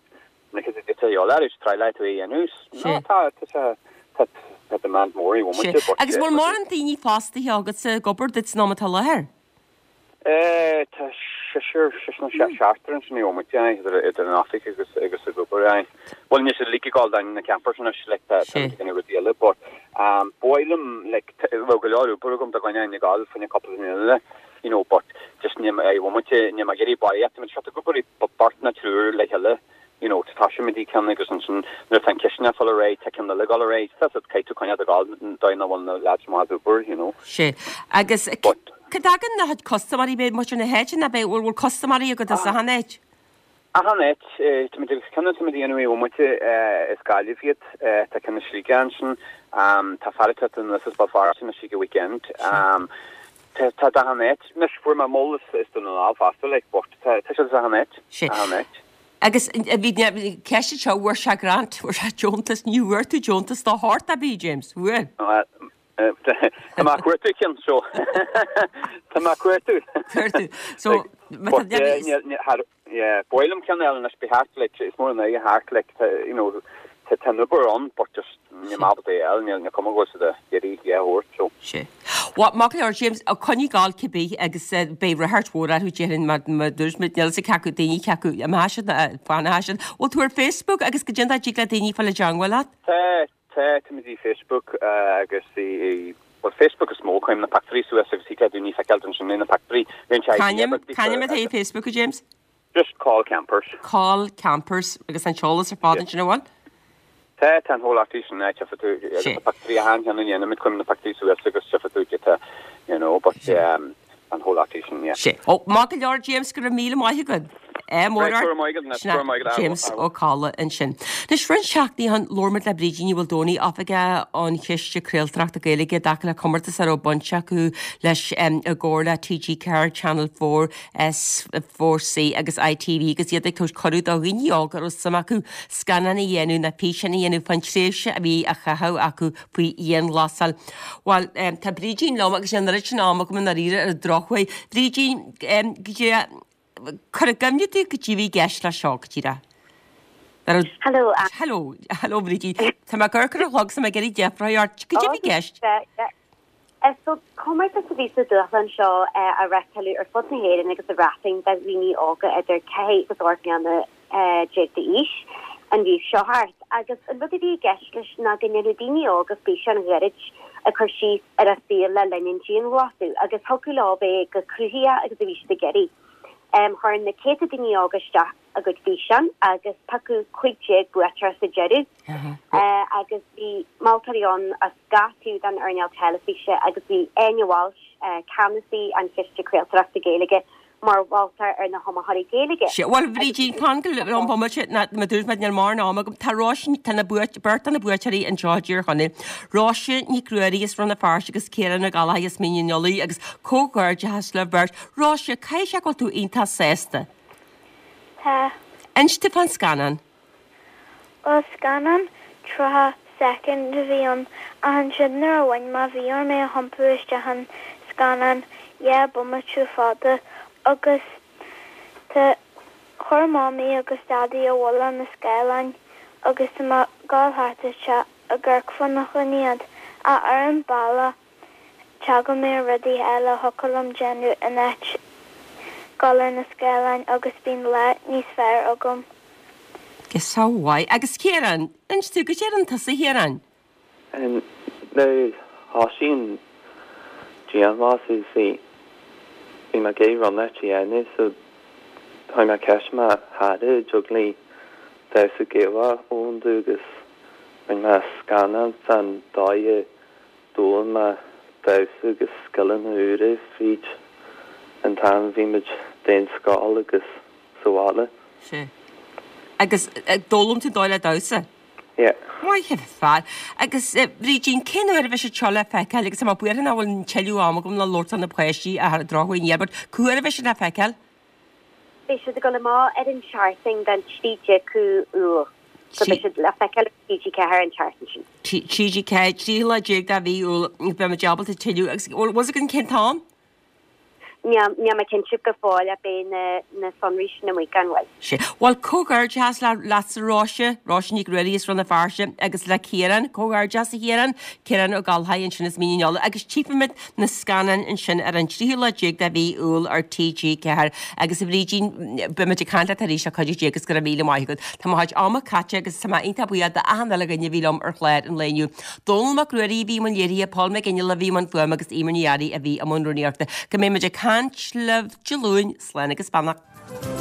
na cad é eolas is try le tú é a dhéanamh. No tá tá tá tá tá demand mór i Sé. Agus bhfuil mórán daoine fostaithe agat sa ag obair duit san am atá láthair? Eh tá seisear seisear nó seachtar ansin i bhfomaite idir idir an oifig agus agus ag obair é. Well níos a lig gáil na campers anois like tá Sé. tá rudaí eile but um boilum like bhfuil go leor obair agam do dhaoine in gáil faoin cúpla duine eile you know but just ní i bhfomaite ní mar iarraidh barraíocht mé seo ag obair beirt nó triúr le chéile you know tá sé dí ceann agus ansin nuair tá an cisne fáil réidh tá ceann eile gáil réidh tá caithfidh tú coinneáil gáil daoine bhfuil na lads maith ag obair you know. Sé. Agus But- Cad agan na custaiméirí beidh muid na háite na beidh bhfuil custaiméirí agat as achan áit? Achan áit ceann tá déanamh i bhfomaite is Gaillimh iad tá ceann Sligeach ansin tá fear an is ba fear sin si go weekend. Um, tá tá achan áit anois fuair mé moll is is don lá fosta like but tá tá sé achan áit Sé. achan áit. Agus bhí ceiste seo bhfuair sé grant bhfuair sé deontas ní bhfuair tú deontas dá shórt a bhí James bhfuil. Tá má cuartú cinn so Tá má cuartú. Cuartú. So But, yeah, yeah, yeah, boilum ceann eile anois be thart like is mór an é thart like you know tá tá obair ann but just ní má é eile níl na cuma go de iarraidh é thabhairt so. Sé. Wa má ar James a coinneáil ag gabháil cibé agus beidh ráchairt mhór orthu déarfainn mar mar dúirt muid níl sa ceacu daoine ceacu amach siad fan siad. Bhfuil tú ar Facebook agus go déanta tig le daoine fáil i dteagmháil leat? Tá tá tá mé i Facebook uh, agus i well Facebook is mó cuirim na pictiúirí suas agus tig le daoine feiceáil ansin na pictiúirí C'ainm c'ainm atá i Facebook James? Just Coll Campers. Coll Campers agus an t-eolas ar fad sin bhfuil? Tá tá an hólaí sin na tú Sé. pictiúirí a han an dhéanamh cuirim na pictiúirí suas agus tú tá you know but um an chomhlachtaí sin, yeah. Sé. Ó, maith go leor James, go raibh míle maith agat. Eh, mór Right, go raibh maith agat, Ness, go raibh maith agat. James Ó Cadhla ansin. Anois, roinnt seachtainí ó shin, labhair muid le Brídín Ní Mhaoldomhnaigh, Oifigeach an Chiste Craoltóireachta Gaeilge i dtaca le comórtas a raibh baint acu leis i gcomhar le TG Ceathair, Channel Four, S Four C agus ITV agus iad ag tabhairt cuireadh do dhaoine óga a raibh suim acu scannán a dhéanamh nó físeán a dhéanamh fán tréimhse a bhí á chaitheamh acu faoi dhianghlasáil. Bhuel, tá Brídín liom agus níl an oiread sin ama agam i ndáiríre ar an drochuair. Brídín, cuir i gcuimhne domh goidé a bhí i gceist leis seo, go díreach. Hello. Hello, hello Brídín. Tá mé ag amharc ar an chlog 's tá mé ag iarraidh deifir a ort. Goidé a bhí i gceist. So comórtas a bhí sa dúshlán seo a reáchtáladh ar fud na hÉireann agus sa Bhreatain do dhaoine óga idir ceathair agus ocht mbliana déag d'aois an mhí seo thart. Agus an rud a bhí i gceist leis ná go ndéanfadh daoine óga físeán ghairid ag cur síos ar a saol le linn an dianghlasáil agus thiocfadh leo bheith chomh cruthaitheach agus a bhí siad ag iarraidh. Chuir na céadta daoine óga isteach a gcuid físeán agus piocadh cúig déag buaiteoir sa deireadh agus bhí moltóirí ann as gach taobh den earnáil teilifíse agus bhí Áine Walsh, ceannasaí an Chiste Craoltóireachta Gaeilge, mar mholtóir ar na hiomaitheoirí Gaeilge. Sea, bhuel, Bhrídín, fan go liom bomaite, ná mar dúirt mé, níl mórán ama agam. Tá Róise, tá na buait, beirt de na buaiteoirí anseo i dTír Chonaill, Róise Nic Ruairí as Rann na Feirste agus Ciarán Ó Gallchóir as Mín an Fhailí agus comhghairdeachas libh beirt. Róise, caithfidh sé go bhfuil tú iontach sásta? Tá. Inis domh fán scannán. Bhuel, scannán tríocha soicind a bhí ann, ach ansin nuair a bhain mé, bhí orm é a thiompú isteach in scannán dhá bomaite fada agus tá, chuir Mamaí agus Daidí abhaile na scáileáin agus tá mé ag gabháil thart isteach ag amharc fána choinne iad, ach ar an bealach teagann mé ar rudaí eile a thiocfadh liom déanamh in áit dul ar na scáileáin agus bíonn lá níos fearr agam. Go mhaith. Agus Ciarán, inis domh, goidé a rinne tusa, a Chiaráin? Nuair a thosaigh an dianghlasáil bhí bhí mé ag iarraidh rud a dhéanamh so chuir mé ceist ar mo chara an dtig léi damhsa Gaelach a fhoghlaim domh agus rinne mé scannán fán dóigh a d'fhoghlaim mé damhsa agus scileanna úra fríd an t-am a bhí muid d'aon scoil agus sa bhaile. Sea. Agus d'fhoghlaim tú an dóigh le damhsa? Yeah. Maith an fear. Agus Brídín, cén uair a bheidh siad seo le feiceáil agus tá mé buartha nach bhfuil tuilleadh ama agam le labhairt do na páistí ach ar an drochuair níl, but cá huair a bheidh siad le feiceáil? Beidh siad ag dul amach ar an tseachtain den trí déag Iúil. So beidh siad le feiceáil ar TG Ceathair an tseachtain sin. TG Ceathair, tríú lá déag de mhí Iúil, beidh muid ábalta tuilleadh agus bhfuil fhios againn cén t-am? Níl níl mé cinnte go fóill ach beidh na na sonraí sin amuigh gan mhoill. Sea. Bhuel, comhghairdeas le leatsa Róise, Róise Nic Ruairí as Rann na Feirste agus le Ciarán, comhghairdeas a Chiaráin, Ciarán Ó Gallchóir ansin as Mín an Fhailí agus tchífimid na scannáin ansin ar an tríú lá déag de mhí Iúil ar TG Ceathair agus a Bhrídín, beimid ag caint leat arís le cuidiú Dé agus go raibh míle maith agat. Tá mo chuid ama caite agus tá mé iontach buíoch d'achan uile dhuine a bhí liom ar chlár an lae inniu. Dónall Mac Ruairí a bhí i mbun léirithe, Paul McGinley a bhí i mbun fuaime agus Eimear Ní Fhearraigh a bhí i mbun rúnaíochta. Go mbeidh muid ag caint libh Dé Luain, slán agus beannacht.